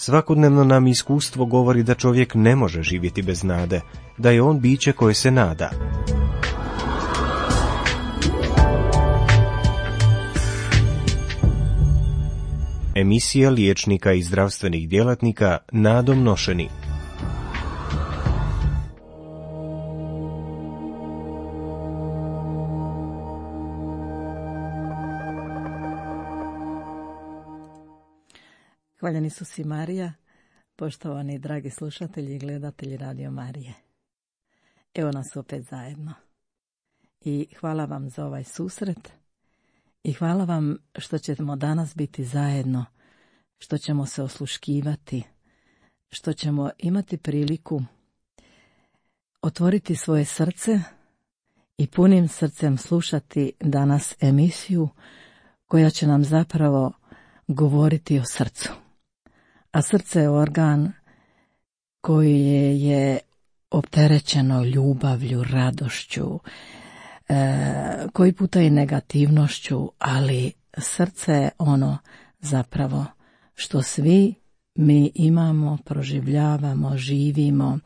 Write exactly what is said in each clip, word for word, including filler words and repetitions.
Svakodnevno nam iskustvo govori da čovjek ne može živjeti bez nade, da je on biće koje se nada. Emisija liječnika i zdravstvenih djelatnika nadom nošeni. Hvaljeni su si Marija, poštovani dragi slušatelji i gledatelji Radio Marije. Evo nas opet zajedno. I hvala vam za ovaj susret i hvala vam što ćemo danas biti zajedno, što ćemo se osluškivati, što ćemo imati priliku otvoriti svoje srce i punim srcem slušati danas emisiju koja će nam zapravo govoriti o srcu. A srce je organ koji je opterećeno ljubavlju, radošću, e, koji puta i negativnošću, ali srce je ono zapravo što svi mi imamo, proživljavamo, živimo,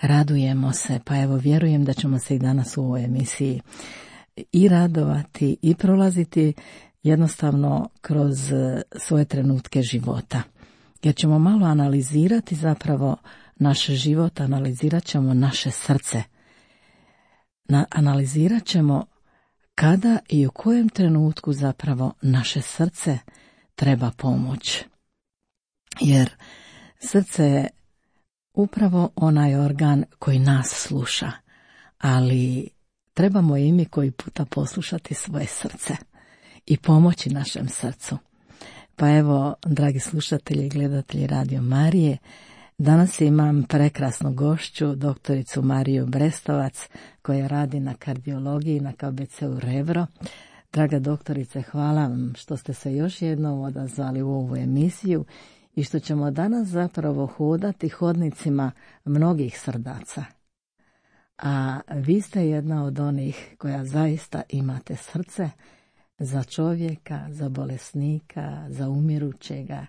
radujemo se. Pa evo, vjerujem da ćemo se i danas u ovoj emisiji i radovati i prolaziti jednostavno kroz svoje trenutke života. Jer ćemo malo analizirati zapravo naš život, analizirat ćemo naše srce. Na, analizirat ćemo kada i u kojem trenutku zapravo naše srce treba pomoć. Jer srce je upravo onaj organ koji nas sluša, ali trebamo i mi koji puta poslušati svoje srce i pomoći našem srcu. Pa evo, dragi slušatelji i gledatelji Radio Marije, danas imam prekrasnu gošću, doktoricu Mariju Brestovac, koja radi na kardiologiji na K B C-u Rebro. Draga doktorice, hvala vam što ste se još jednom odazvali u ovu emisiju i što ćemo danas zapravo hodati hodnicima mnogih srdaca. A vi ste jedna od onih koja zaista imate srce za čovjeka, za bolesnika, za umirućega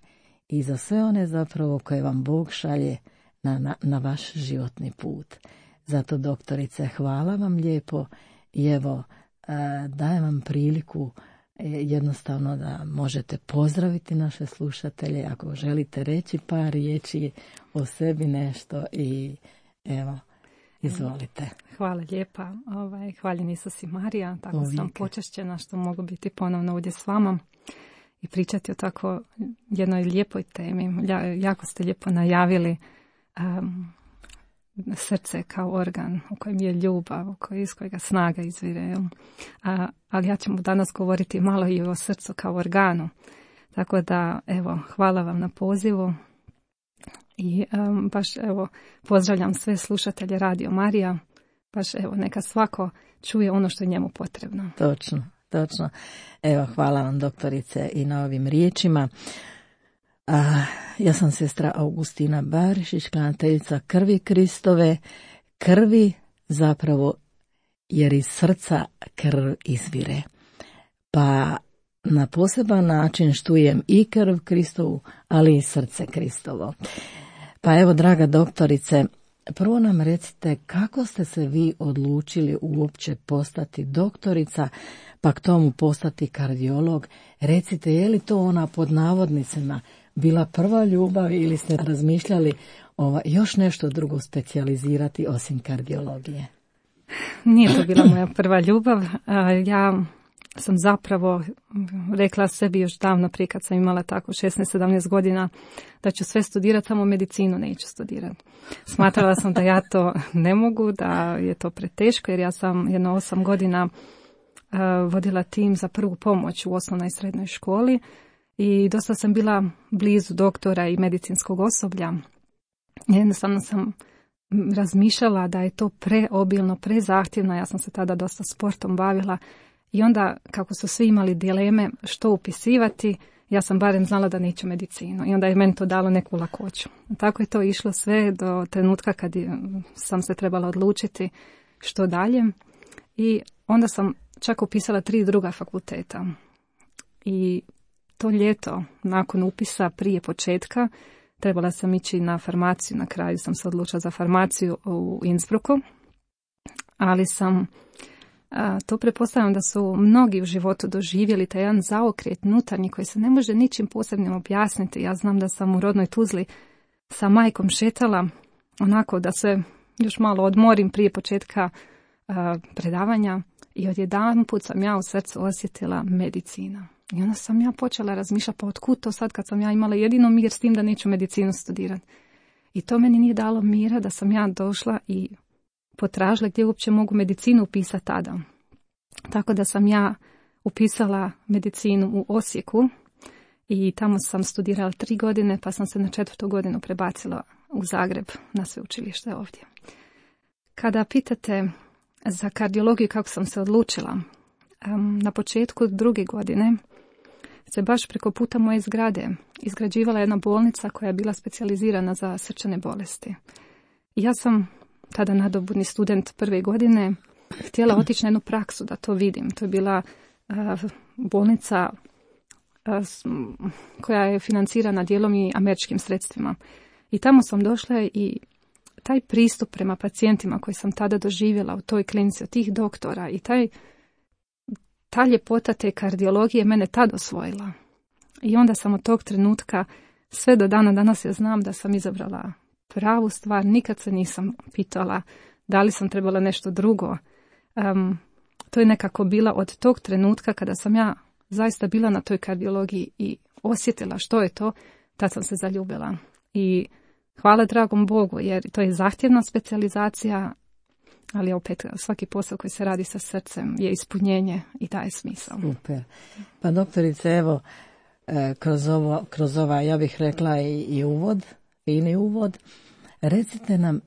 i za sve one zapravo koje vam Bog šalje na, na, na vaš životni put. Zato, doktorice, hvala vam lijepo i evo, dajem vam priliku jednostavno da možete pozdraviti naše slušatelje, ako želite reći par riječi o sebi nešto i evo, izvolite. Hvala lijepa. Ovaj, hvaljeni su si Marija, tako Uvijek. Sam počašćena što mogu biti ponovno ovdje s vama i pričati o tako jednoj lijepoj temi. Jako ste lijepo najavili um, srce kao organ u kojem je ljubav, u kojem iz kojega snaga izvire. A, ali ja ću danas govoriti malo i o srcu kao organu. Tako da, evo, hvala vam na pozivu. I um, baš evo pozdravljam sve slušatelje Radio Marija, baš evo neka svako čuje ono što je njemu potrebno. Točno, točno. Evo, hvala vam doktorice i na ovim riječima. A, ja sam sestra Augustina Barišić, klanateljica krvi Kristove, krvi zapravo jer iz srca krv izvire. Pa na poseban način štujem i krv Kristovu, ali i srce Kristovo. Pa evo, draga doktorice, prvo nam recite kako ste se vi odlučili uopće postati doktorica, pa k tomu postati kardiolog. Recite, je li to ona pod navodnicima bila prva ljubav ili ste razmišljali ova, još nešto drugo specijalizirati osim kardiologije? Nije to bila moja prva ljubav. Ja sam zapravo rekla sebi još davno prije kad sam imala tako šesnaest sedamnaest godina da ću sve studirati, samo medicinu neću studirati. Smatrala sam da ja to ne mogu, da je to preteško jer ja sam jedno osam godina uh, vodila tim za prvu pomoć u osnovnoj i srednjoj školi i dosta sam bila blizu doktora i medicinskog osoblja. Jednostavno sam razmišljala da je to preobilno, prezahtjevno, ja sam se tada dosta sportom bavila. I onda, kako su svi imali dileme što upisivati, ja sam barem znala da neću medicinu. I onda je meni to dalo neku lakoću. Tako je to išlo sve do trenutka kad sam se trebala odlučiti što dalje. I onda sam čak upisala tri druga fakulteta. I to ljeto, nakon upisa prije početka, Trebala sam ići na farmaciju, na kraju sam se odlučila za farmaciju u Innsbrucku, ali sam, a, to pretpostavljam da su mnogi u životu doživjeli taj jedan zaokret nutarnji koji se ne može ničim posebnim objasniti. Ja znam da sam u rodnoj Tuzli sa majkom šetala onako da se još malo odmorim prije početka a, predavanja i odjedanput sam ja u srcu osjetila medicina. I onda sam ja počela razmišljati, pa otkud to sad kad sam ja imala jedino mir s tim da neću medicinu studirati. I to meni nije dalo mira da sam ja došla i potražila gdje uopće mogu medicinu upisati tada. Tako da sam ja upisala medicinu u Osijeku i tamo sam studirala tri godine, pa sam se na četvrtu godinu prebacila u Zagreb na sveučilište ovdje. Kada pitate za kardiologiju kako sam se odlučila, na početku druge godine se baš preko puta moje zgrade izgrađivala jedna bolnica koja je bila specijalizirana za srčane bolesti. I ja sam tada nadobudni student prve godine htjela otići na jednu praksu da to vidim. To je bila uh, bolnica uh, koja je financirana dijelom i američkim sredstvima. I tamo sam došla i taj pristup prema pacijentima koji sam tada doživjela u toj klinici od tih doktora i taj, ta ljepota te kardiologije mene tad osvojila. I onda sam od tog trenutka sve do dana danas ja znam da sam izabrala pravu stvar. Nikad se nisam pitala da li sam trebala nešto drugo. Um, to je nekako bila od tog trenutka kada sam ja zaista bila na toj kardiologiji i osjetila što je to, tad sam se zaljubila. I hvala dragom Bogu, jer to je zahtjevna specijalizacija, ali opet svaki posao koji se radi sa srcem je ispunjenje i daje smisao. Super. Pa doktorice, evo, kroz, ovo, kroz ova, ja bih rekla i, i uvod, fini uvod, recite nam,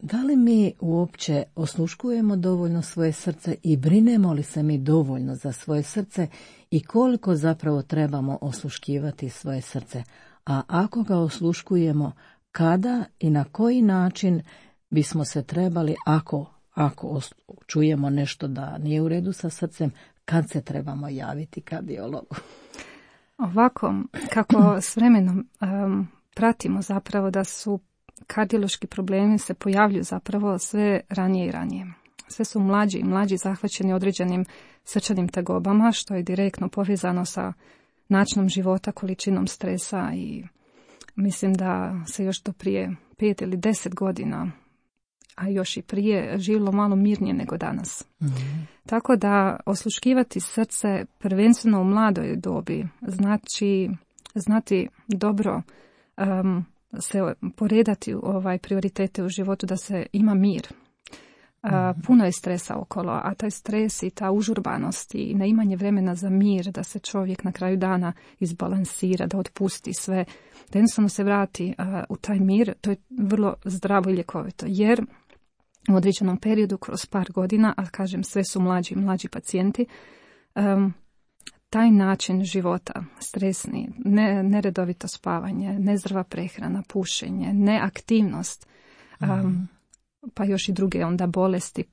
da li mi uopće osluškujemo dovoljno svoje srce i brinemo li se mi dovoljno za svoje srce i koliko zapravo trebamo osluškivati svoje srce? A ako ga osluškujemo, kada i na koji način bismo se trebali, ako, ako čujemo nešto da nije u redu sa srcem, kad se trebamo javiti kardiologu? Ovako, kako s vremenom um, pratimo zapravo da su kardiološki problemi se pojavljuju zapravo sve ranije i ranije. Sve su mlađi i mlađi zahvaćeni određenim srčanim tegobama, što je direktno povezano sa načinom života, količinom stresa i mislim da se još do prije pet ili deset godina, a još i prije, živjelo malo mirnije nego danas. Mm-hmm. Tako da osluškivati srce prvenstveno u mladoj dobi znači znati dobro um, se poredati ovaj prioritete u životu, da se ima mir. Uh, puno je stresa okolo, a taj stres i ta užurbanost i neimanje vremena za mir, da se čovjek na kraju dana izbalansira, da otpusti sve, da jednostavno se vrati uh, u taj mir, to je vrlo zdravo i ljekovito, jer u određenom periodu, kroz par godina, a kažem sve su mlađi i mlađi pacijenti, um, taj način života, stresni, ne, neredovito spavanje, nezdrava prehrana, pušenje, neaktivnost, um, pa još i druge onda bolesti,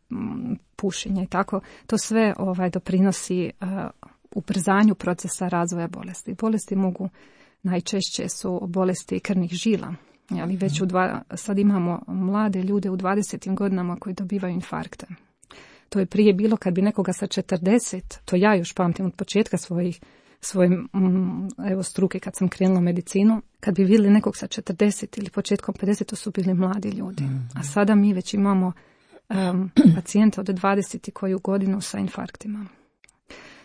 pušenje i tako, to sve ovaj doprinosi uh, ubrzanju procesa razvoja bolesti. Bolesti mogu, najčešće su bolesti krvnih žila, ali već u dva, sad imamo mlade ljude u dvadesetim godinama koji dobivaju infarkte. To je prije bilo kad bi nekoga sa četrdeset, to ja još pamtim od početka svojih, svoje mm, evo, struke kad sam krenula u medicinu, kad bi vidjeli nekog sa četrdeset ili početkom pedeset, to su bili mladi ljudi. A sada mi već imamo um, pacijente od dvadeset koju godinu sa infarktima.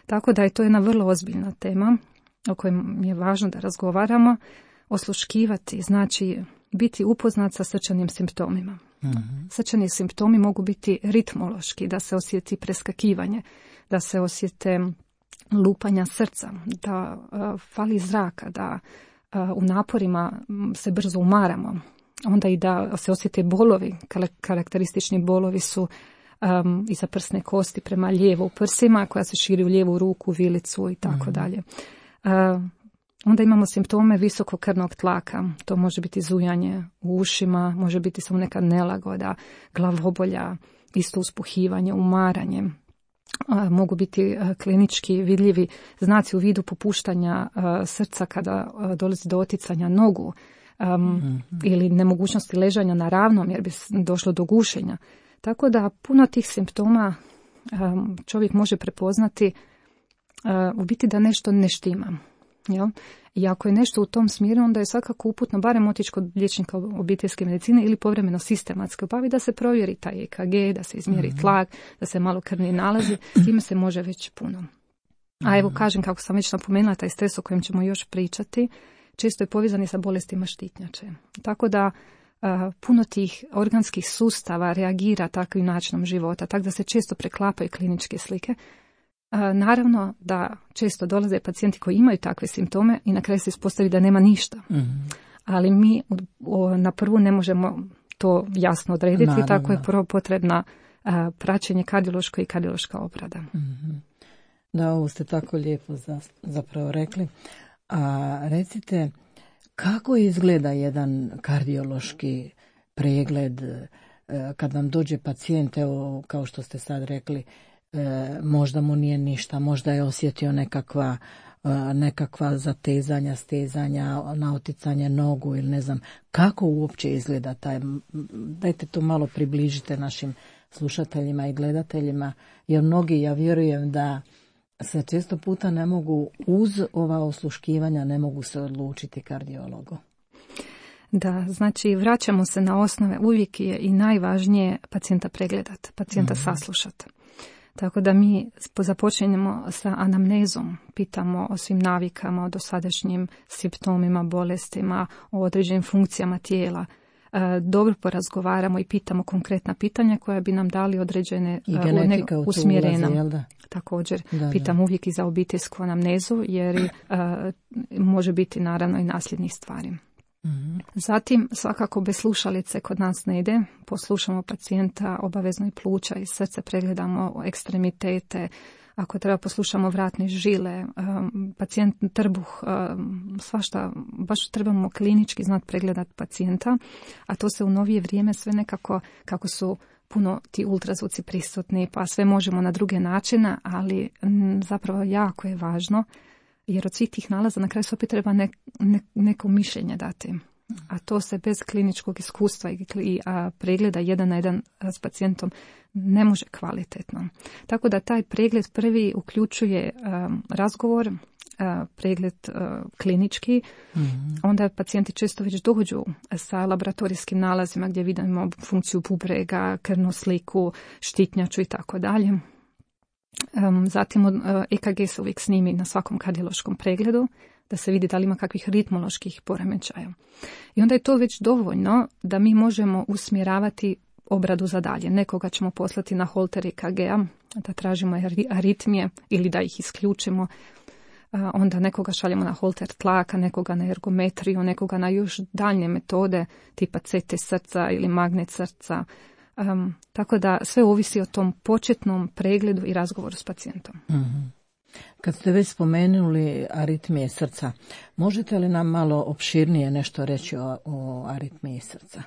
Tako da je to jedna vrlo ozbiljna tema o kojoj je važno da razgovaramo. Osluškivati znači biti upoznat sa srčanim simptomima. Mm-hmm. Srčani simptomi mogu biti ritmološki, da se osjeti preskakivanje, da se osjete lupanja srca, da uh, fali zraka, da uh, u naporima se brzo umaramo, onda i da se osjete bolovi. Karakteristični bolovi su um, iza prsne kosti prema lijevo u prsima, koja se širi u lijevu ruku, vilicu i tako mm-hmm. dalje. Uh, Onda imamo simptome visokog krvnog tlaka, to može biti zujanje u ušima, može biti samo neka nelagoda, glavobolja, isto uspuhivanje, umaranje. Mogu biti klinički vidljivi znaci u vidu popuštanja srca kada dolazi do oticanja nogu, um, mm-hmm. ili nemogućnosti ležanja na ravnom jer bi došlo do gušenja. Tako da puno tih simptoma um, čovjek može prepoznati uh, u biti da nešto ne štima. Jel? I ako je nešto u tom smjeru, onda je svakako uputno barem otići kod liječnika obiteljske medicine ili povremeno sistematski obavi da se provjeri taj E K G, da se izmjeri mm-hmm. tlak, da se malo krvni nalazi, s time se može već puno. A evo kažem, kako sam već napomenula, taj stres o kojem ćemo još pričati, često je povezan i sa bolestima štitnjače. Tako da uh, puno tih organskih sustava reagira takvim načinom života, tako da se često preklapaju kliničke slike. Uh, naravno da često dolaze pacijenti koji imaju takve simptome i na kraju se ispostavi da nema ništa. Mm-hmm. Ali mi o, na prvu ne možemo to jasno odrediti, naravno. Tako je prvo potrebna uh, praćenje kardiološko i kardiološka obrada. Mm-hmm. Da, ovo ste tako lijepo za, zapravo rekli. A recite, kako izgleda jedan kardiološki pregled kad vam dođe pacijent, evo kao što ste sad rekli, možda mu nije ništa, možda je osjetio nekakva, nekakva zatezanja, stezanja, naoticanje nogu ili ne znam, kako uopće izgleda taj, dajte to malo približite našim slušateljima i gledateljima, jer mnogi, ja vjerujem da se često puta ne mogu, uz ova osluškivanja, ne mogu se odlučiti kardiologu. Da, znači vraćamo se na osnove, uvijek je i najvažnije pacijenta pregledati, pacijenta mm-hmm. saslušati. Tako da mi započinjemo sa anamnezom, pitamo o svim navikama, o dosadašnjim simptomima, bolestima, o određenim funkcijama tijela. Dobro porazgovaramo i pitamo konkretna pitanja koja bi nam dali određene usmjerenja. Također da, pitam da. uvijek i za obiteljsku anamnezu jer uh, može biti naravno i nasljednih stvari. Mm-hmm. Zatim svakako bez slušalice kod nas ne ide, poslušamo pacijenta, obavezno i pluća i srce, pregledamo ekstremitete, ako treba poslušamo vratne žile, um, pacijent trbuh, um, svašta, baš trebamo klinički znati pregledati pacijenta, a to se u novije vrijeme sve nekako, kako su puno ti ultrazvuci prisutni, pa sve možemo na druge načine, ali m, zapravo jako je važno, jer od svih tih nalaza na kraju se opet treba ne, ne, neko mišljenje dati. A to se bez kliničkog iskustva i, i a, pregleda jedan na jedan s pacijentom ne može kvalitetno. Tako da taj pregled prvi uključuje um, razgovor, uh, pregled uh, klinički, mm-hmm. onda pacijenti često već dođu sa laboratorijskim nalazima gdje vidimo funkciju bubrega, krvnu sliku, štitnjaču i tako dalje. Um, zatim uh, E K G se uvijek snimi na svakom kardiološkom pregledu da se vidi da li ima kakvih ritmoloških poremećaja. I onda je to već dovoljno da mi možemo usmjeravati obradu za dalje. Nekoga ćemo poslati na holter E K G-a, da tražimo aritmije ili da ih isključimo. Onda nekoga šaljemo na holter tlaka, nekoga na ergometriju, nekoga na još daljnje metode tipa C T srca ili magnet srca. Um, tako da sve ovisi o tom početnom pregledu i razgovoru s pacijentom. Mm-hmm. Kad ste već spomenuli aritmije srca, možete li nam malo opširnije nešto reći o, o aritmiji srca?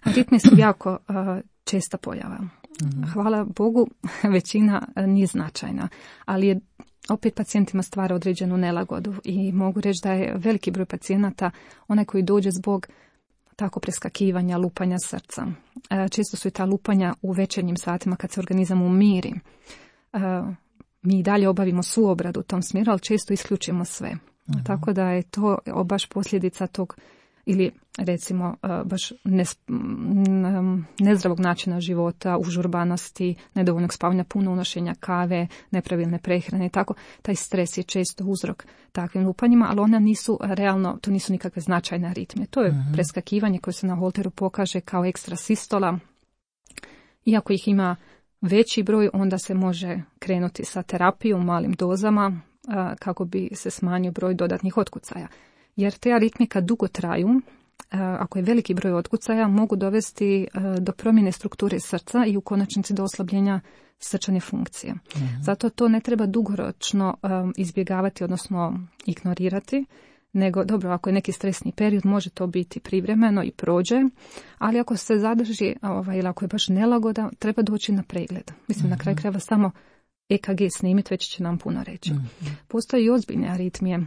Aritmije su jako uh, česta pojava. Mm-hmm. Hvala Bogu, većina nije značajna, ali je opet pacijentima stvara određenu nelagodu i mogu reći da je veliki broj pacijenata onaj koji dođe zbog tako preskakivanja, lupanja srca. Uh, često su i ta lupanja u večernjim satima kad se organizam umiri. Uh, mi i dalje obavimo svu obradu u tom smjeru, ali često isključimo sve. Mm-hmm. Tako da je to baš posljedica tog ili recimo baš nezdravog načina života, užurbanosti, nedovoljnog spavanja, puno unošenja kave, nepravilne prehrane i tako. Taj stres je često uzrok takvim lupanjima, ali ona nisu realno, to nisu nikakve značajne aritmije. To je mm-hmm. preskakivanje koje se na holteru pokaže kao ekstra sistola. Iako ih ima veći broj, onda se može krenuti sa terapijom u malim dozama kako bi se smanjio broj dodatnih otkucaja. Jer te aritmije kad dugo traju, ako je veliki broj otkucaja, mogu dovesti do promjene strukture srca i u konačnici do oslabljenja srčane funkcije. Mm-hmm. Zato to ne treba dugoročno izbjegavati, odnosno ignorirati, nego dobro, ako je neki stresni period, može to biti privremeno i prođe, ali ako se zadrži ovaj, ili ako je baš nelagoda, treba doći na pregled. Mislim, mm-hmm. na kraju krajeva samo E K G snimiti, već će nam puno reći. Mm-hmm. Postoje i ozbiljne aritmije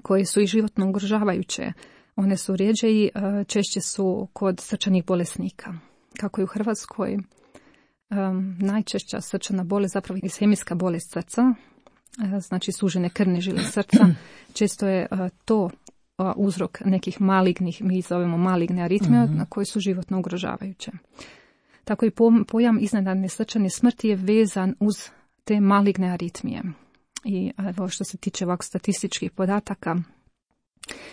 koje su i životno ugrožavajuće. One su rjeđe i češće su kod srčanih bolesnika. Kako je u Hrvatskoj um, najčešća srčana bolest zapravo ishemijska bolest srca, uh, znači sužene krvne žile srca. Često je uh, to uh, uzrok nekih malignih, mi zovemo maligne aritmije, mm-hmm. na koje su životno ugrožavajuće. Tako i pojam iznenadne srčane smrti je vezan uz te maligne aritmije. I evo što se tiče ovako statističkih podataka,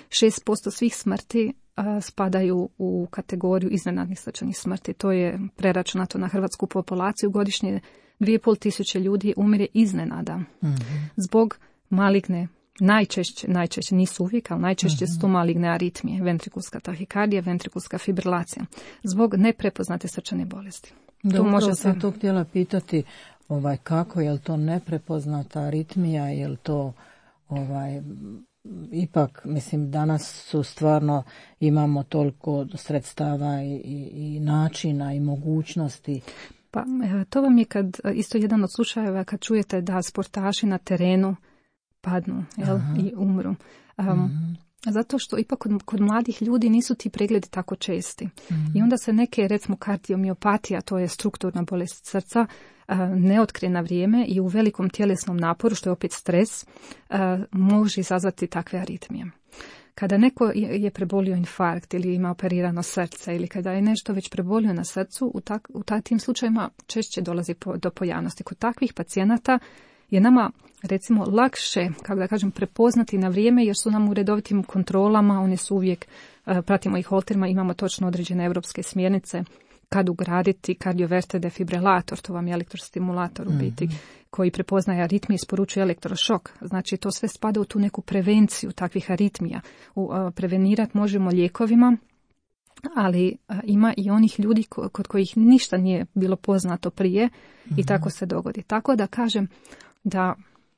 šest posto svih smrti a, spadaju u kategoriju iznenadnih srčanih smrti. To je preračunato na hrvatsku populaciju. Godišnje dvije i pol tisuće ljudi umire iznenada. Mm-hmm. Zbog maligne, najčešće, najčešće nisu uvijek, ali najčešće mm-hmm. su to maligne aritmije, ventrikulska tahikardija, ventrikulska fibrilacija. Zbog neprepoznate srčane bolesti. Dobro, može sam se... to htjela pitati ovaj, kako, je li to neprepoznata aritmija, je li to ovaj... Ipak, mislim, danas su stvarno, imamo toliko sredstava i, i, i načina i mogućnosti. Pa to vam je kad, isto jedan od slučajeva kad čujete da sportaši na terenu padnu, jel, i umru. Um, mm-hmm. Zato što ipak kod, kod mladih ljudi nisu ti pregledi tako česti. Mm-hmm. I onda se neke, recimo kardiomiopatija, to je strukturna bolest srca, ne otkrije na vrijeme i u velikom tjelesnom naporu, što je opet stres, može izazvati takve aritmije. Kada neko je prebolio infarkt ili ima operirano srce ili kada je nešto već prebolio na srcu, u, tak, u tim slučajima češće dolazi po, do pojavnosti. Kod takvih pacijenata je nama, recimo, lakše, kako da kažem, prepoznati na vrijeme jer su nam u redovitim kontrolama, one su uvijek, pratimo ih holterima, imamo točno određene europske smjernice kad ugraditi kardioverter defibrilator, to vam je elektrostimulator u biti, mm-hmm. koji prepoznaje aritmije i isporučuje elektrošok. Znači to sve spada u tu neku prevenciju takvih aritmija. U, uh, prevenirati možemo lijekovima, ali uh, ima i onih ljudi ko, kod kojih ništa nije bilo poznato prije mm-hmm. i tako se dogodi. Tako da kažem da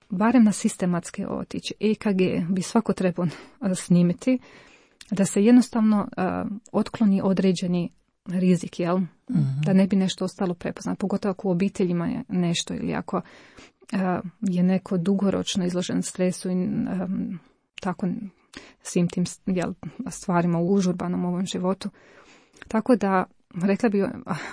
barem na sistematske otići E K G bi svako trebao uh, snimiti, da se jednostavno uh, otkloni određeni rizik, jel? Mm-hmm. Da ne bi nešto ostalo prepoznato, pogotovo ako u obiteljima je nešto ili ako uh, je neko dugoročno izložen stresu i um, tako svim tim jel, stvarima u užurbanom ovom životu. Tako da, rekla bi,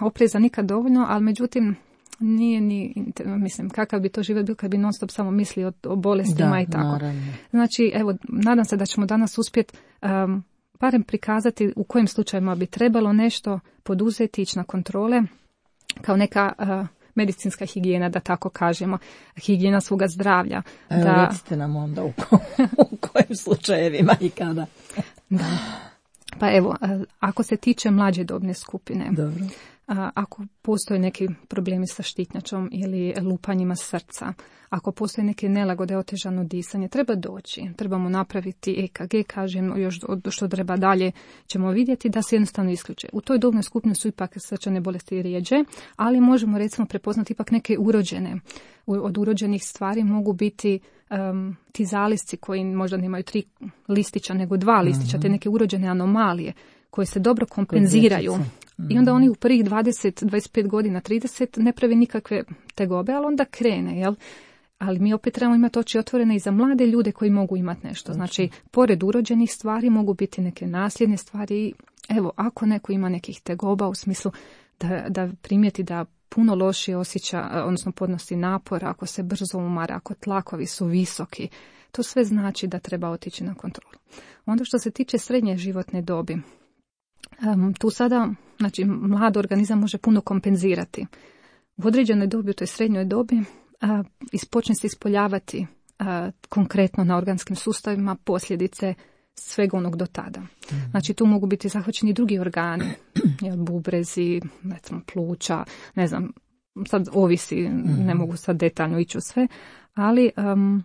opreza nikad dovoljno, ali međutim nije ni, mislim, kakav bi to život bio kad bi non stop samo misli o, o bolestima da, i tako. Naravno. Znači, evo, nadam se da ćemo danas uspjeti um, barem prikazati u kojim slučajima bi trebalo nešto poduzeti, ići na kontrole, kao neka uh, medicinska higijena, da tako kažemo, higijena svoga zdravlja. Evo, da... recite nam onda u, ko, u kojim slučajevima i kada. Da. Pa evo, ako se tiče mlađe dobne skupine, dobro. Ako postoje neki problemi sa štitnjačom ili lupanjima srca, ako postoje neke nelagode, otežano disanje, treba doći, trebamo napraviti E K G, kažem, još što treba dalje ćemo vidjeti da se jednostavno isključe. U toj dobnoj skupini su ipak srčane bolesti rijeđe, ali možemo recimo prepoznati ipak neke urođene. Od urođenih stvari mogu biti um, ti zalisci koji možda nemaju tri listića nego dva listića, mm-hmm. te neke urođene anomalije koje se dobro kompenziraju. I onda oni u prvih dvadeset, dvadeset pet godina, trideset ne pravi nikakve tegobe, ali onda krene, jel? Ali mi opet trebamo imati oči otvorene i za mlade ljude koji mogu imati nešto. Znači, pored urođenih stvari mogu biti neke nasljedne stvari. Evo, ako neko ima nekih tegoba u smislu da, da primijeti da puno lošije osjeća, odnosno podnosi napor, ako se brzo umara, ako tlakovi su visoki, to sve znači da treba otići na kontrolu. Onda što se tiče srednje životne dobi, Um, tu sada, znači, mlad organizam može puno kompenzirati. U određenoj dobi, u toj srednjoj dobi, uh, ispočne se ispoljavati uh, konkretno na organskim sustavima posljedice svega onog do tada. Mm. Znači, tu mogu biti zahvaćeni drugi organi, jel, bubrezi, recimo pluća, ne znam, sad ovisi, mm. ne mogu sad detaljno ići u sve, ali um,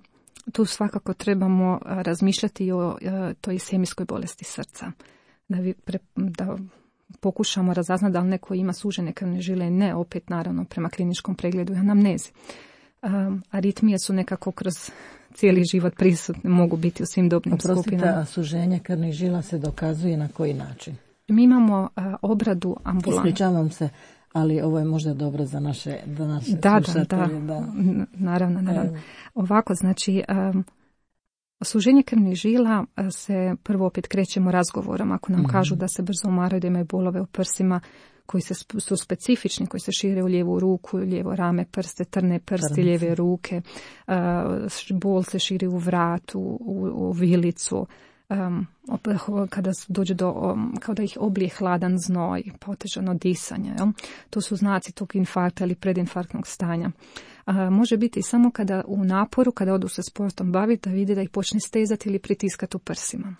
tu svakako trebamo razmišljati o uh, toj ishemijskoj bolesti srca. Da, vi pre, da pokušamo razaznati da li neko ima sužene krvne žile, ne, opet naravno prema kliničkom pregledu i anamnezi. Um, aritmije su nekako kroz cijeli život prisutne, mogu biti u svim dobnim Oprostite, skupinama. A suženje krvnih žila se dokazuje na koji način? Mi imamo uh, obradu ambulantnu. Ispričavam se, ali ovo je možda dobro za naše, za naše da, slušatelje. Da, da, naravno, naravno. Evo. Ovako, znači... Um, suženje krvnih žila se prvo opet krećemo razgovorom. Ako nam mm-hmm. kažu da se brzo umaraju, da imaju bolove u prsima koji se, su specifični, koji se šire u lijevu ruku, lijevo rame, prste, trne prsti, lijeve ruke, uh, bol se širi u vratu, u, u vilicu, um, kada dođe do, um, kao da ih oblije hladan znoj, potežano disanje. Jel? To su znaci tog infarkta ili predinfarktnog stanja. A, može biti samo kada u naporu, kada odu se sportom baviti, da vidi da ih počne stezati ili pritiskati u prsima.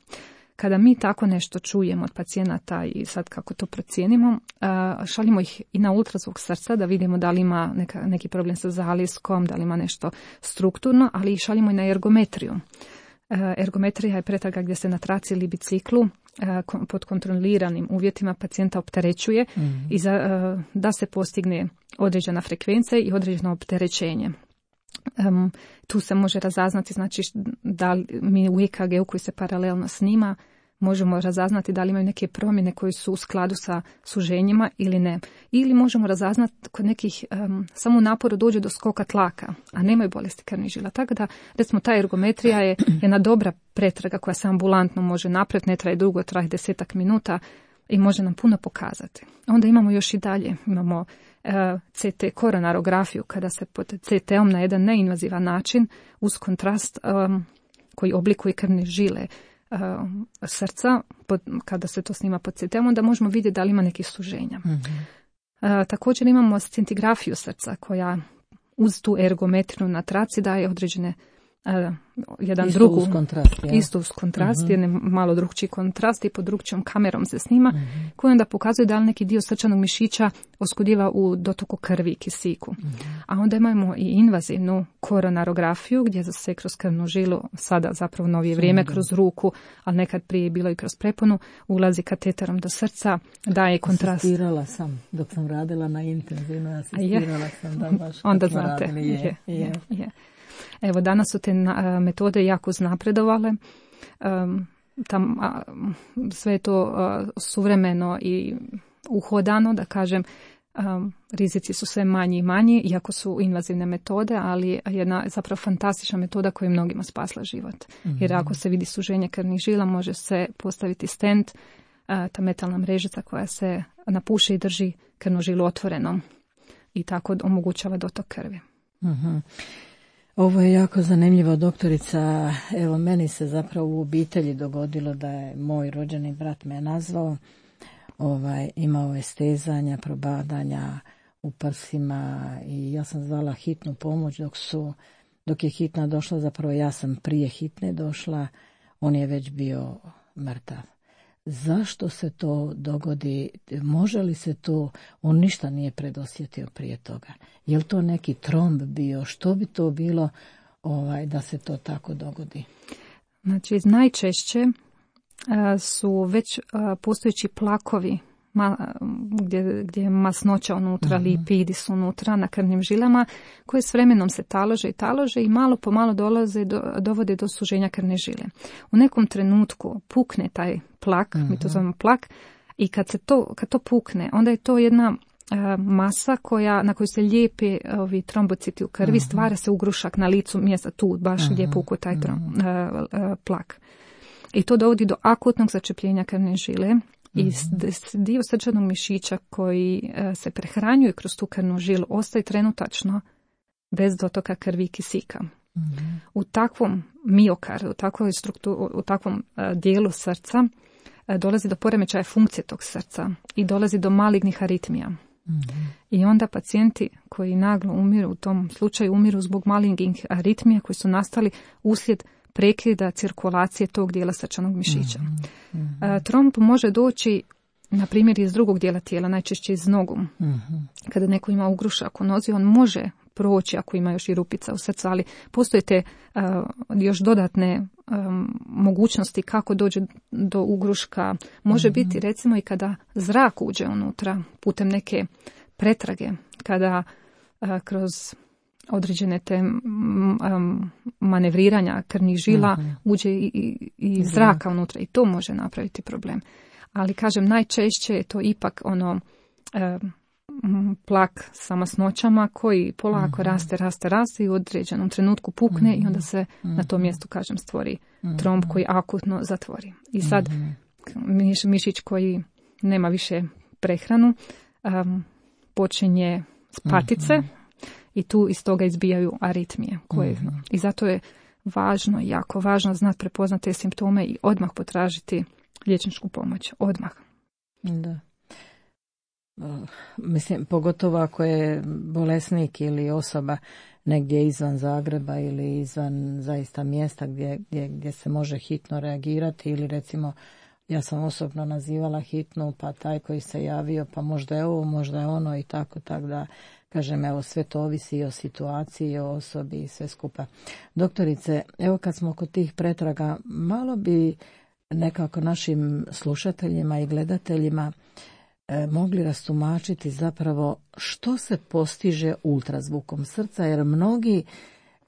Kada mi tako nešto čujemo od pacijenata i sad kako to procijenimo, a, šaljimo ih i na ultrazvuk srca da vidimo da li ima neka, neki problem sa zaliskom, da li ima nešto strukturno, ali i šaljimo i na ergometriju. A, ergometrija je pretraga gdje se na traci ili biciklu pod kontroliranim uvjetima pacijenta opterećuje mm-hmm. i za, da se postigne određena frekvencija i određeno opterećenje. Um, tu se može razaznati, znači da mi u E K G-u koji se paralelno snima možemo razaznati da li imaju neke promjene koje su u skladu sa suženjima ili ne. Ili možemo razaznati kod nekih, um, samo u naporu dođe do skoka tlaka, a nemaju bolesti krvnih žila. Tako da, recimo, ta ergometrija je jedna dobra pretraga koja se ambulantno može napraviti, ne traje dugo, traje desetak minuta i može nam puno pokazati. Onda imamo još i dalje, imamo uh, C T koronarografiju, kada se pod C T-om na jedan neinvazivan način uz kontrast um, koji oblikuje krvne žile srca, pod, kada se to snima pod C T-om, onda možemo vidjeti da li ima nekih suženja. Mm-hmm. A, također imamo scintigrafiju srca koja uz tu ergometriju na traci daje određene a, jedan isto drugu, uz kontrast, ja? isto uz kontrast, mm-hmm. jedan malo drugčiji kontrast i pod drugčijom kamerom se snima, mm-hmm. koji onda pokazuje da li neki dio srčanog mišića oskudjiva u dotoku krvi i kisiku. Mm-hmm. A onda imamo i invazivnu koronarografiju gdje se kroz krvnu žilu, sada zapravo novije vrijeme mm-hmm. kroz ruku, ali nekad prije bilo i kroz preponu, ulazi kateterom do srca, daje kontrast. Asistirala sam, dok sam radila na intenzivno, asistirala sam da baš onda znate, radili, je, je, je. je, je. Evo, danas su te na, metode jako uznapredovale, um, tam, a, sve je to a, suvremeno i uhodano, da kažem, um, rizici su sve manji i manji, iako su invazivne metode, ali jedna zapravo fantastična metoda koja je mnogima spasla život. Mm-hmm. Jer ako se vidi suženje krvnih žila, može se postaviti stent, a, ta metalna mrežica koja se napuše i drži krvnu žilu otvorenom i tako omogućava dotok krvi. Mm-hmm. Ovo je jako zanimljivo, doktorica. Evo, meni se zapravo u obitelji dogodilo da je moj rođeni brat me nazvao. Ovaj, imao je stezanja, probadanja u prsima i ja sam zvala hitnu pomoć dok su, dok je hitna došla, zapravo ja sam prije hitne došla, on je već bio mrtav. Zašto se to dogodi? Može li se to, on ništa nije predosjetio prije toga. Je li to neki tromb bio? Što bi to bilo ovaj, da se to tako dogodi? Znači, najčešće a, su već a, postojeći plakovi ma, gdje, gdje je masnoća unutra, uh-huh. lipidi su unutra na krvnim žilama, koje s vremenom se talože i talože i malo po malo dolaze do, dovode do suženja krvne žile. U nekom trenutku pukne taj plak, uh-huh. mi to zovemo plak, i kad, se to, kad to pukne, onda je to jedna a, masa koja, na koju se lijepe ovi trombociti u krvi, uh-huh. stvara se ugrušak na licu mjesta tu, baš uh-huh. gdje puku taj trom, uh-huh. a, a, plak. I to dovodi do akutnog začepljenja krvne žile. I dio srčanog mišića koji se prehranjuje kroz tu krvnu žilu ostaje trenutačno bez dotoka krvi i kisika. Mm-hmm. U takvom miokardu, u, takvoj strukturu, u takvom dijelu srca dolazi do poremećaja funkcije tog srca i dolazi do malignih aritmija. Mm-hmm. I onda pacijenti koji naglo umiru, u tom slučaju umiru zbog malignih aritmija koji su nastali uslijed prekida cirkulacije tog dijela srčanog mišića. Mm-hmm. A, tromb može doći, na primjer, iz drugog dijela tijela, najčešće iz nogu. Mm-hmm. Kada neko ima ugrušak u nozi, on može proći ako ima još i rupica u srcu, ali postoje te a, još dodatne a, mogućnosti kako dođe do ugruška. Može mm-hmm. biti, recimo, i kada zrak uđe unutra putem neke pretrage, kada a, kroz određene te um, manevriranja krvnih žila uh-huh. uđe i, i, i zraka unutra i to može napraviti problem. Ali kažem, najčešće je to ipak ono um, plak sa masnoćama koji polako mm-hmm. raste, raste, raste i u određenom trenutku pukne mm-hmm. i onda se mm-hmm. na tom mjestu, kažem, stvori mm-hmm. tromb koji akutno zatvori. I sad mm-hmm. miš, mišić koji nema više prehranu um, počinje spatice mm-hmm. i tu iz toga izbijaju aritmije. Koje, mm-hmm. I zato je važno, jako važno znati prepoznati te simptome i odmah potražiti liječničku pomoć. Odmah. Da. Mislim, pogotovo ako je bolesnik ili osoba negdje izvan Zagreba ili izvan zaista mjesta gdje, gdje, gdje se može hitno reagirati ili recimo ja sam osobno nazivala hitnu pa taj koji se javio pa možda je ovo, možda je ono i tako, tako da kažem, evo sve to ovisi i o situaciji i o osobi i sve skupa. Doktorice, evo kad smo kod tih pretraga, malo bi nekako našim slušateljima i gledateljima e, mogli rastumačiti zapravo što se postiže ultrazvukom srca, jer mnogi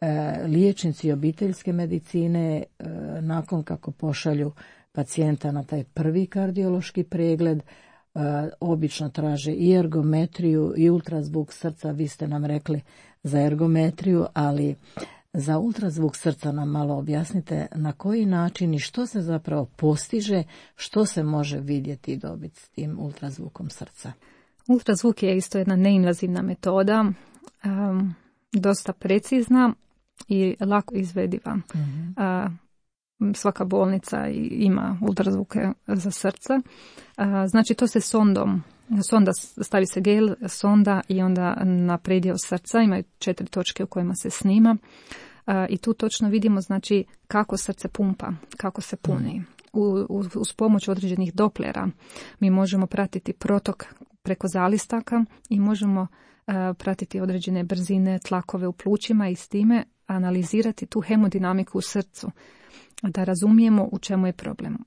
e, liječnici obiteljske medicine e, nakon kako pošalju pacijenta na taj prvi kardiološki pregled, e, obično traže i ergometriju i ultrazvuk srca. Vi ste nam rekli za ergometriju, ali za ultrazvuk srca nam malo objasnite na koji način i što se zapravo postiže, što se može vidjeti i dobiti s tim ultrazvukom srca. Ultrazvuk je isto jedna neinvazivna metoda, um, dosta precizna i lako izvediva. Mm-hmm. Uh, svaka bolnica ima ultrazvuke za srce. Uh, znači to se sondom, sonda, stavi se gel, sonda i onda na predjel srca imaju četiri točke u kojima se snima. Uh, I tu točno vidimo znači kako srce pumpa, kako se puni. U, uz, uz pomoć određenih doplera mi možemo pratiti protok preko zalistaka i možemo uh, pratiti određene brzine, tlakove u plućima i s time analizirati tu hemodinamiku u srcu, da razumijemo u čemu je problem.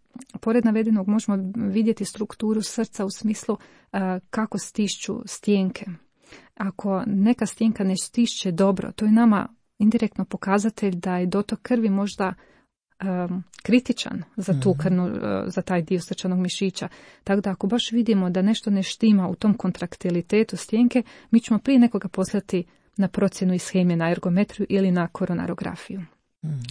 Pored navedenog možemo vidjeti strukturu srca u smislu uh, kako stišću stjenke. Ako neka stjenka ne stišće dobro, to je nama indirektno pokazatelj da je dotok krvi možda um, kritičan za tu krvnu, uh, za taj dio srčanog mišića. Tako da ako baš vidimo da nešto ne štima u tom kontraktilitetu stjenke, mi ćemo prije nekoga poslati na procjenu ishemije, na ergometriju ili na koronarografiju.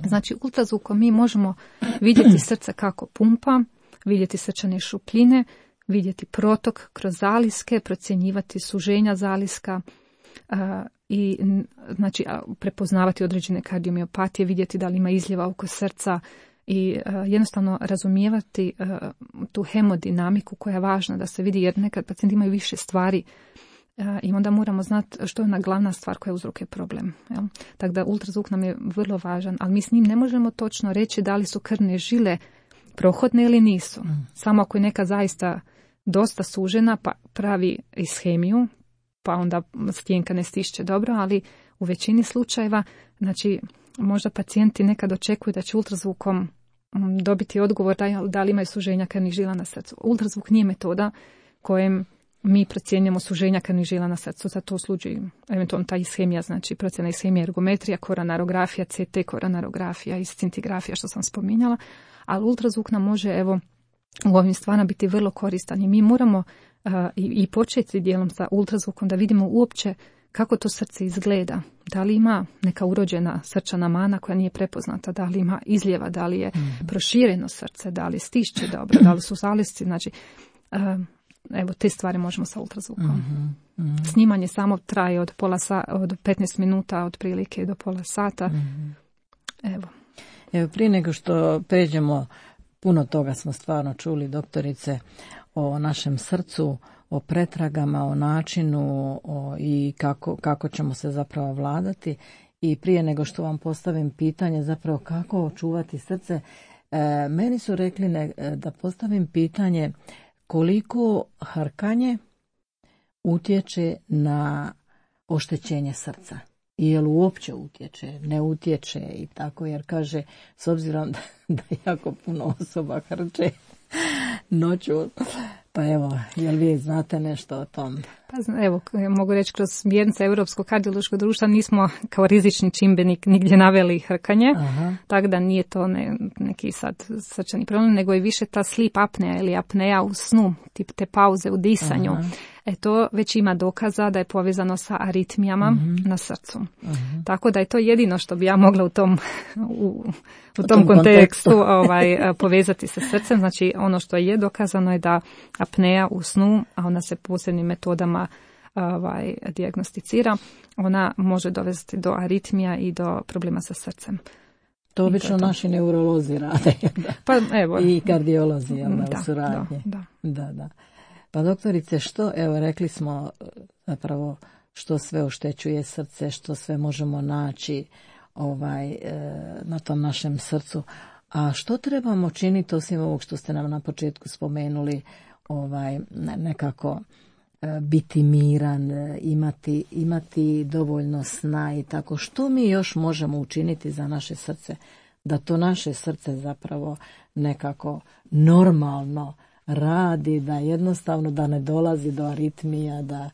Znači ultrazvukom mi možemo vidjeti srce kako pumpa, vidjeti srčane šupljine, vidjeti protok kroz zaliske, procjenjivati suženja zaliska uh, i znači prepoznavati određene kardiomiopatije, vidjeti da li ima izljeva oko srca i uh, jednostavno razumijevati uh, tu hemodinamiku koja je važna da se vidi, jer nekad pacijenti imaju više stvari uh, i onda moramo znati što je ona glavna stvar koja uzrokuje problem. Jel? Tako da ultrazvuk nam je vrlo važan, ali mi s njim ne možemo točno reći da li su krvne žile prohodne ili nisu. Mm. Samo ako je neka zaista dosta sužena pa pravi ishemiju, pa onda stjenka ne stišće dobro, ali u većini slučajeva, znači možda pacijenti nekad očekuju da će ultrazvukom dobiti odgovor da, da li imaju suženja krvnih žila na srcu. Ultrazvuk nije metoda kojem mi procjenjujemo suženja krvnih žila na srcu, za to služi eventualno ta ishemija, znači procjena ishemija, ergometrija, koronarografija, C T koronarografija i scintigrafija što sam spominjala, ali ultrazvuk nam može evo u ovim stvarima biti vrlo koristan i mi moramo uh, i, i početi dijelom sa ultrazvukom da vidimo uopće kako to srce izgleda, da li ima neka urođena srčana mana koja nije prepoznata, da li ima izljeva, da li je mm-hmm. prošireno srce, da li stišće dobro, da li su zalisci, znači uh, evo te stvari možemo sa ultrazvukom. Mm-hmm. Mm-hmm. Snimanje samo traje od pola sa, od petnaest minuta otprilike do pola sata. Mm-hmm. Evo. Evo prije nego što pređemo, puno toga smo stvarno čuli, doktorice, o našem srcu, o pretragama, o načinu o, i kako, kako ćemo se zapravo vladati. I prije nego što vam postavim pitanje zapravo kako očuvati srce, e, meni su rekli ne, da postavim pitanje koliko harkanje utječe na oštećenje srca. I je li uopće utječe, ne utječe i tako, jer kaže, s obzirom da, da jako puno osoba hrče noću, pa evo, jel vi znate nešto o tom? Pa evo, mogu reći, kroz smjernice Europskog kardiološkog društva nismo kao rizični čimbenik nigdje naveli hrkanje, aha. Tako da nije to ne, neki sad srčani problem, nego je više ta sleep apnea ili apnea u snu, tip te pauze u disanju. Aha. E to već ima dokaza da je povezano sa aritmijama mm-hmm. na srcu. Mm-hmm. Tako da je to jedino što bi ja mogla u tom, u, u tom, tom kontekstu ovaj, povezati sa srcem. Znači ono što je dokazano je da apnea u snu, a ona se posebnim metodama ovaj, dijagnosticira, ona može dovesti do aritmija i do problema sa srcem. To obično naši neurolozi rade. Da. Pa, evo. I kardiolozi jel, da, u suradnji. Da, da. Da, da. Pa doktorice, što, evo rekli smo zapravo što sve oštećuje srce, što sve možemo naći ovaj, na tom našem srcu. A što trebamo činiti osim ovog što ste nam na početku spomenuli, ovaj, nekako biti miran, imati, imati dovoljno sna i tako. Što mi još možemo učiniti za naše srce? Da to naše srce zapravo nekako normalno radi, da jednostavno da ne dolazi do aritmija, da...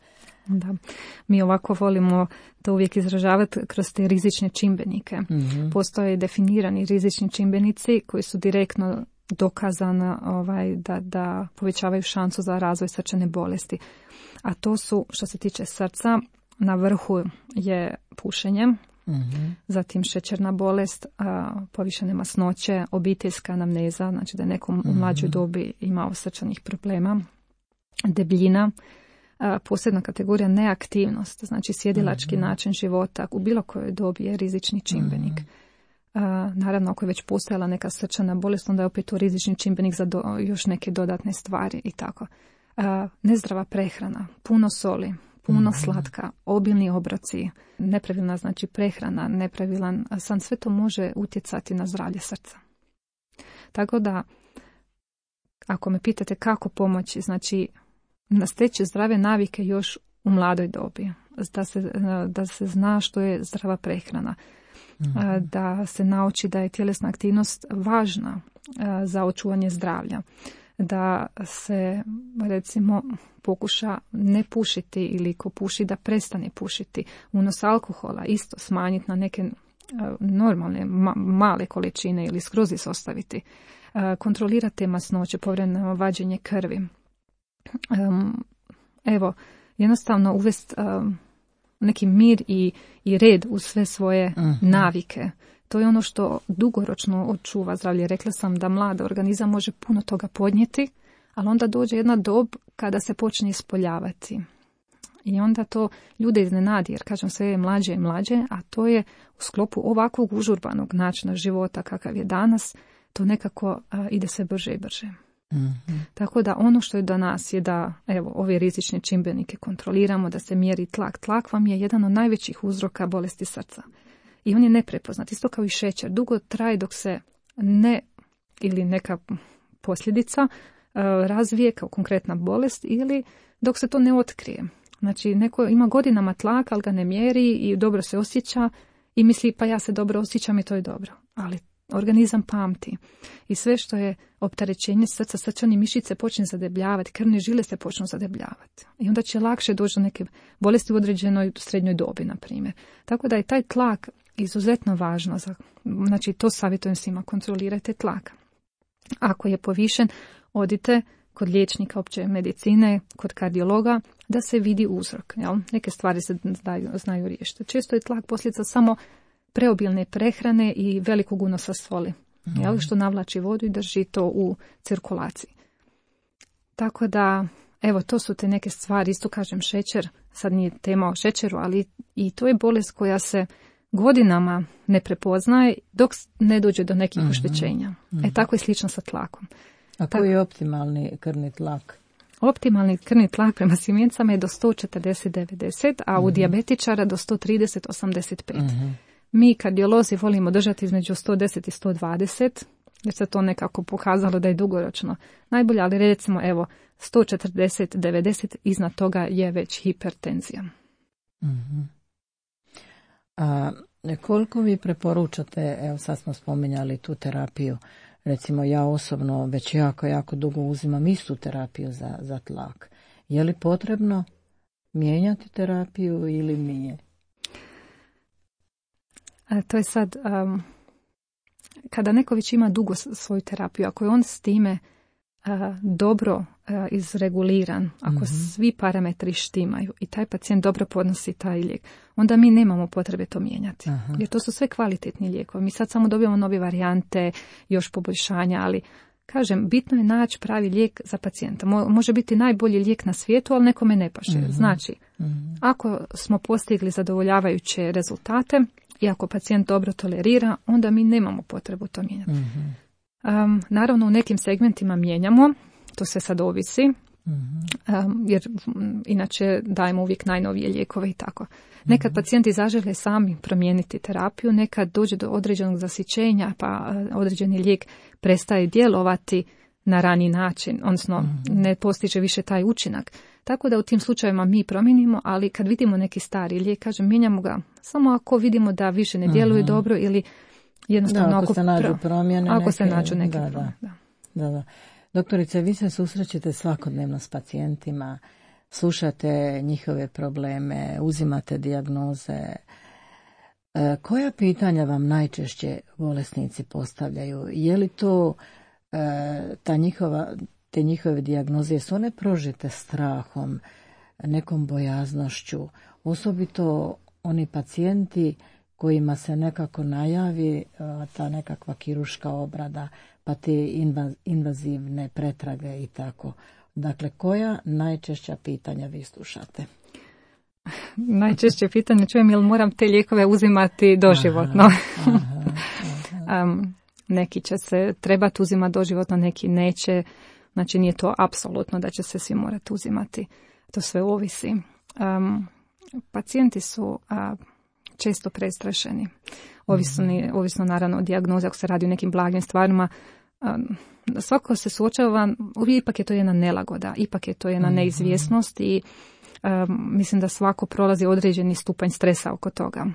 Da, mi ovako volimo to uvijek izražavati kroz te rizične čimbenike. Mm-hmm. Postoje definirani rizični čimbenici koji su direktno dokazani ovaj, da, da povećavaju šansu za razvoj srčane bolesti. A to su, što se tiče srca, na vrhu je pušenje, mm-hmm. zatim šećerna bolest, a, povišene masnoće, obiteljska anamneza, znači da je nekom u mlađoj dobi imao srčanih problema, debljina, a, posebna kategorija neaktivnost, znači sjedilački mm-hmm. način života u bilo kojoj dobi je rizični čimbenik. Mm-hmm. A, naravno, ako je već postojala neka srčana bolest, onda je opet to rizični čimbenik za do, još neke dodatne stvari i tako. A, nezdrava prehrana, puno soli, puno mm-hmm. slatka, obilni obroci, nepravilna znači prehrana, nepravilan san, sve to može utjecati na zdravlje srca. Tako da, ako me pitate kako pomoći, znači nasteći zdrave navike još u mladoj dobi, da se, da se zna što je zdrava prehrana, mm-hmm. da se nauči da je tjelesna aktivnost važna za očuvanje zdravlja, da se recimo pokuša ne pušiti ili ko puši da prestane pušiti. Unos alkohola isto smanjiti na neke normalne ma, male količine ili skroz izostaviti. Kontrolirati masnoće, povremeno vađenje krvi. Evo, jednostavno uvesti neki mir i, i red u sve svoje uh-huh. navike. To je ono što dugoročno očuva zdravlje. Rekla sam da mlad organizam može puno toga podnijeti, ali onda dođe jedna dob kada se počne ispoljavati. I onda to ljude iznenadi, jer kažem sve je mlađe i mlađe, a to je u sklopu ovakvog užurbanog načina života kakav je danas, to nekako a, ide sve brže i brže. Mm-hmm. Tako da ono što je do nas je da evo, ove rizične čimbenike kontroliramo, da se mjeri tlak. Tlak vam je jedan od najvećih uzroka bolesti srca. I on je neprepoznat, isto kao i šećer. Dugo traje dok se ne, ili neka posljedica uh, razvije kao konkretna bolest ili dok se to ne otkrije. Znači, neko ima godinama tlak, ali ga ne mjeri i dobro se osjeća i misli pa ja se dobro osjećam i to je dobro. Ali organizam pamti i sve što je opterećenje srca, srčane mišice počne zadebljavati, krvne žile se počnu zadebljavati. I onda će lakše doći do neke bolesti u određenoj srednjoj dobi, na primjer. Tako da je taj tlak izuzetno važno. Za, znači, to savjetujem svima, kontrolirajte tlak. Ako je povišen, odite kod liječnika opće medicine, kod kardiologa, da se vidi uzrok. Jel? Neke stvari se znaju, znaju riješiti. Često je tlak posljedica samo preobilne prehrane i velikog unosa soli, mm. jel, što navlači vodu i drži to u cirkulaciji. Tako da, evo, to su te neke stvari, isto kažem šećer, sad nije tema o šećeru, ali i to je bolest koja se godinama ne prepoznaje dok ne dođe do nekih mm-hmm. oštećenja. Mm-hmm. E tako je slično sa tlakom. A koji je optimalni krvni tlak? Optimalni krvni tlak prema sjemencama je do sto četrdeset devedeset, a mm-hmm. u dijabetičara do sto trideset osamdeset pet. Mm-hmm. Mi kardiolozi volimo držati između sto deset i sto dvadeset, jer se to nekako pokazalo da je dugoročno najbolje, ali recimo evo sto četrdeset devedeset, iznad toga je već hipertenzija. Mm-hmm. A koliko vi preporučate, evo sad smo spominjali tu terapiju, recimo ja osobno već jako, jako dugo uzimam istu terapiju za, za tlak. Je li potrebno mijenjati terapiju ili nije? A to je sad, um, kada neko već ima dugo svoju terapiju, ako je on s time uh, dobro izreguliran, ako Mm-hmm. svi parametri štimaju i taj pacijent dobro podnosi taj lijek, onda mi nemamo potrebe to mijenjati. Aha. Jer to su sve kvalitetni lijekovi. Mi sad samo dobijamo nove varijante, još poboljšanja, ali kažem, bitno je naći pravi lijek za pacijenta. Mo- može biti najbolji lijek na svijetu, ali nekome ne paše. Mm-hmm. Znači, Mm-hmm. ako smo postigli zadovoljavajuće rezultate i ako pacijent dobro tolerira, onda mi nemamo potrebu to mijenjati. Mm-hmm. Um, naravno, u nekim segmentima mijenjamo, to sve sad ovisi, Mm-hmm. um, jer m, inače dajemo uvijek najnovije lijekove i tako. Nekad Mm-hmm. pacijenti zažele sami promijeniti terapiju, nekad dođe do određenog zasićenja, pa uh, određeni lijek prestaje djelovati na rani način, odnosno Mm-hmm. ne postiže više taj učinak. Tako da u tim slučajevima mi promijenimo, ali kad vidimo neki stari lijek, kažem, mijenjamo ga samo ako vidimo da više ne djeluje Mm-hmm. dobro ili jednostavno Da, ako ako se nađu pro- promjene Ako neke, se nađu neke da, da. promjene, da. Da, da. Doktorice, vi se susrećete svakodnevno s pacijentima, slušate njihove probleme, uzimate dijagnoze. E, koja pitanja vam najčešće bolesnici postavljaju? Je li to e, ta njihova, te njihove dijagnoze, su one prožete strahom, nekom bojaznošću, osobito oni pacijenti kojima se nekako najavi a, ta nekakva kirurška obrada, pa te inva- invazivne pretrage i tako. Dakle, koja najčešća pitanja vi slušate? Najčešće pitanje čujem je li moram te lijekove uzimati doživotno. Aha, aha, aha. um, neki će se trebati uzimati doživotno, neki neće. Znači nije to apsolutno da će se svi morati uzimati. To sve ovisi. Um, pacijenti su a, često prestrašeni. Ovisno, ovisno naravno o dijagnozi, ako se radi o nekim blagim stvarima. Um, svako se suočava, ipak je to jedna nelagoda, ipak je to jedna Mhm. neizvjesnost i um, mislim da svako prolazi određeni stupanj stresa oko toga.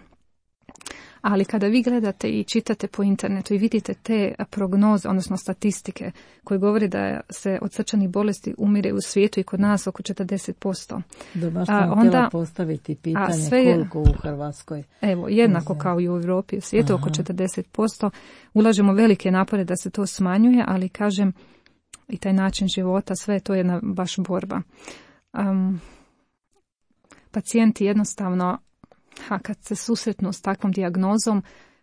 Ali kada vi gledate i čitate po internetu i vidite te prognoze, odnosno statistike koje govore da se od srčanih bolesti umire u svijetu i kod nas oko četrdeset posto. Da, baš A, sam onda- htjela postaviti pitanje sve je- koliko u Hrvatskoj. Evo, jednako Uzem. kao i u Europi, u svijetu oko Aha. četrdeset posto. Ulažemo velike napore da se to smanjuje, ali kažem i taj način života, sve je to jedna baš borba. Um, pacijenti jednostavno, a kad se susretnu s takvom dijagnozom,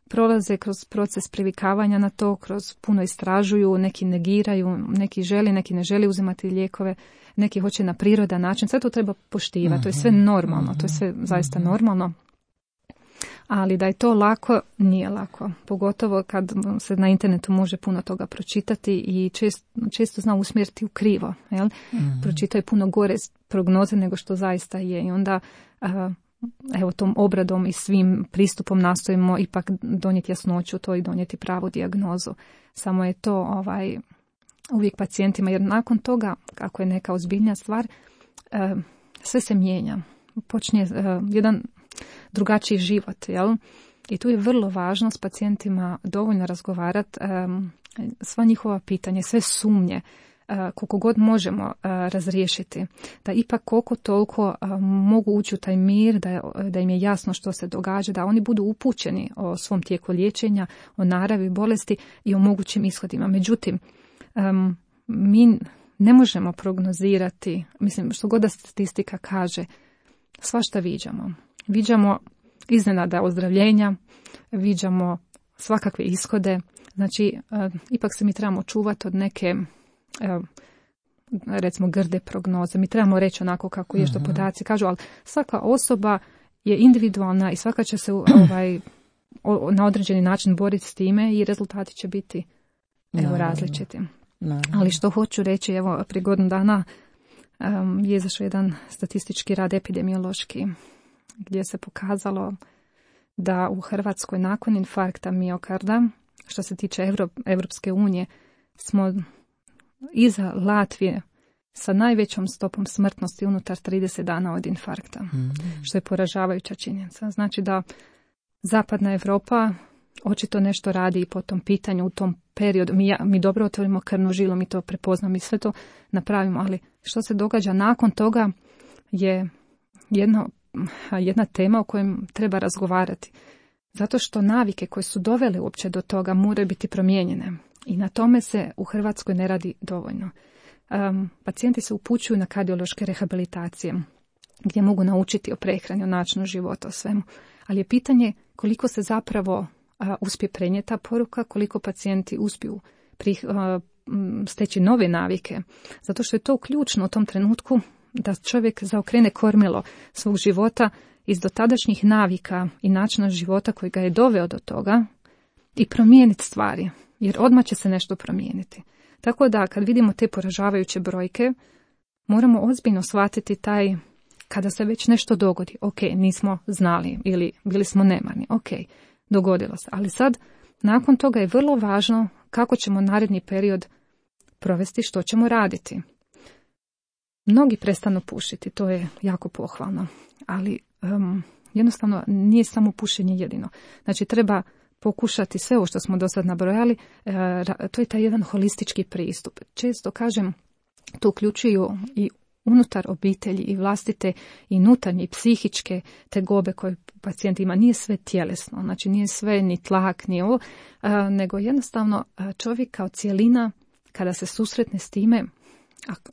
prolaze kroz proces privikavanja na to, kroz puno istražuju, neki negiraju, neki želi, neki ne želi uzimati lijekove, neki hoće na prirodan način. Sve to treba poštivati, to je sve normalno, to je sve zaista normalno. Ali da je to lako, nije lako. Pogotovo kad se na internetu može puno toga pročitati i često, često zna usmjeriti u krivo. Jel? Mhm. Pročitaju puno gore prognoze nego što zaista je. I onda a, evo tom obradom i svim pristupom nastojimo ipak donijeti jasnoću u to i donijeti pravu dijagnozu. Samo je to ovaj uvijek pacijentima, jer nakon toga, ako je neka ozbiljnija stvar, a, sve se mijenja. Počinje a, jedan drugačiji život, jel? I tu je vrlo važno s pacijentima dovoljno razgovarati, um, sva njihova pitanja, sve sumnje, uh, koliko god možemo uh, razriješiti, da ipak koliko toliko uh, mogu ući u taj mir, da, je, da im je jasno što se događa, da oni budu upućeni o svom tijeku liječenja, o naravi bolesti i o mogućim ishodima. Međutim, um, mi ne možemo prognozirati, mislim, što god da statistika kaže, svašta viđamo. Viđamo iznenada ozdravljenja, viđamo svakakve ishode, znači uh, ipak se mi trebamo čuvati od neke uh, recimo grde prognoze. Mi trebamo reći onako kako je što podaci kažu, ali svaka osoba je individualna i svaka će se ovaj, o, na određeni način boriti s time i rezultati će biti evo, Naravno. različiti. Naravno. Ali što hoću reći, evo prije godinu dana um, je izašao jedan statistički rad epidemiološki gdje se pokazalo da u Hrvatskoj nakon infarkta miokarda, što se tiče Evro, Evropske unije, smo iza Latvije sa najvećom stopom smrtnosti unutar trideset dana od infarkta, Mhm. što je poražavajuća činjenica. Znači da zapadna Europa očito nešto radi i po tom pitanju u tom periodu. Mi, ja, mi dobro otvorimo krvnu žilu, mi to prepoznamo i sve to napravimo, ali što se događa nakon toga je jedno jedna tema o kojem treba razgovarati. Zato što navike koje su dovele uopće do toga moraju biti promijenjene. I na tome se u Hrvatskoj ne radi dovoljno. um, pacijenti se upućuju na kardiološke rehabilitacije, gdje mogu naučiti o prehrani, o načinu života, o svemu. Ali je pitanje koliko se zapravo a, uspije prenijeti ta poruka, koliko pacijenti uspiju prih, a, steći nove navike. Zato što je to ključno u tom trenutku da čovjek zaokrene kormilo svog života iz dotadašnjih navika i načina života koji ga je doveo do toga i promijeniti stvari, jer odmah će se nešto promijeniti. Tako da kad vidimo te poražavajuće brojke, moramo ozbiljno shvatiti taj, kada se već nešto dogodi, ok, nismo znali ili bili smo nemarni, ok, dogodilo se. Ali sad, nakon toga je vrlo važno kako ćemo naredni period provesti, što ćemo raditi. Mnogi prestanu pušiti, to je jako pohvalno, ali um, jednostavno nije samo pušenje jedino. Znači treba pokušati sve ovo što smo do sad nabrojali, uh, to je taj jedan holistički pristup. Često kažem, to uključuju i unutar obitelji i vlastite i unutarnje i psihičke tegobe koje pacijent ima. Nije sve tjelesno, znači nije sve ni tlak, ni ovo, uh, nego jednostavno uh, čovjek kao cijelina kada se susretne s time, ako,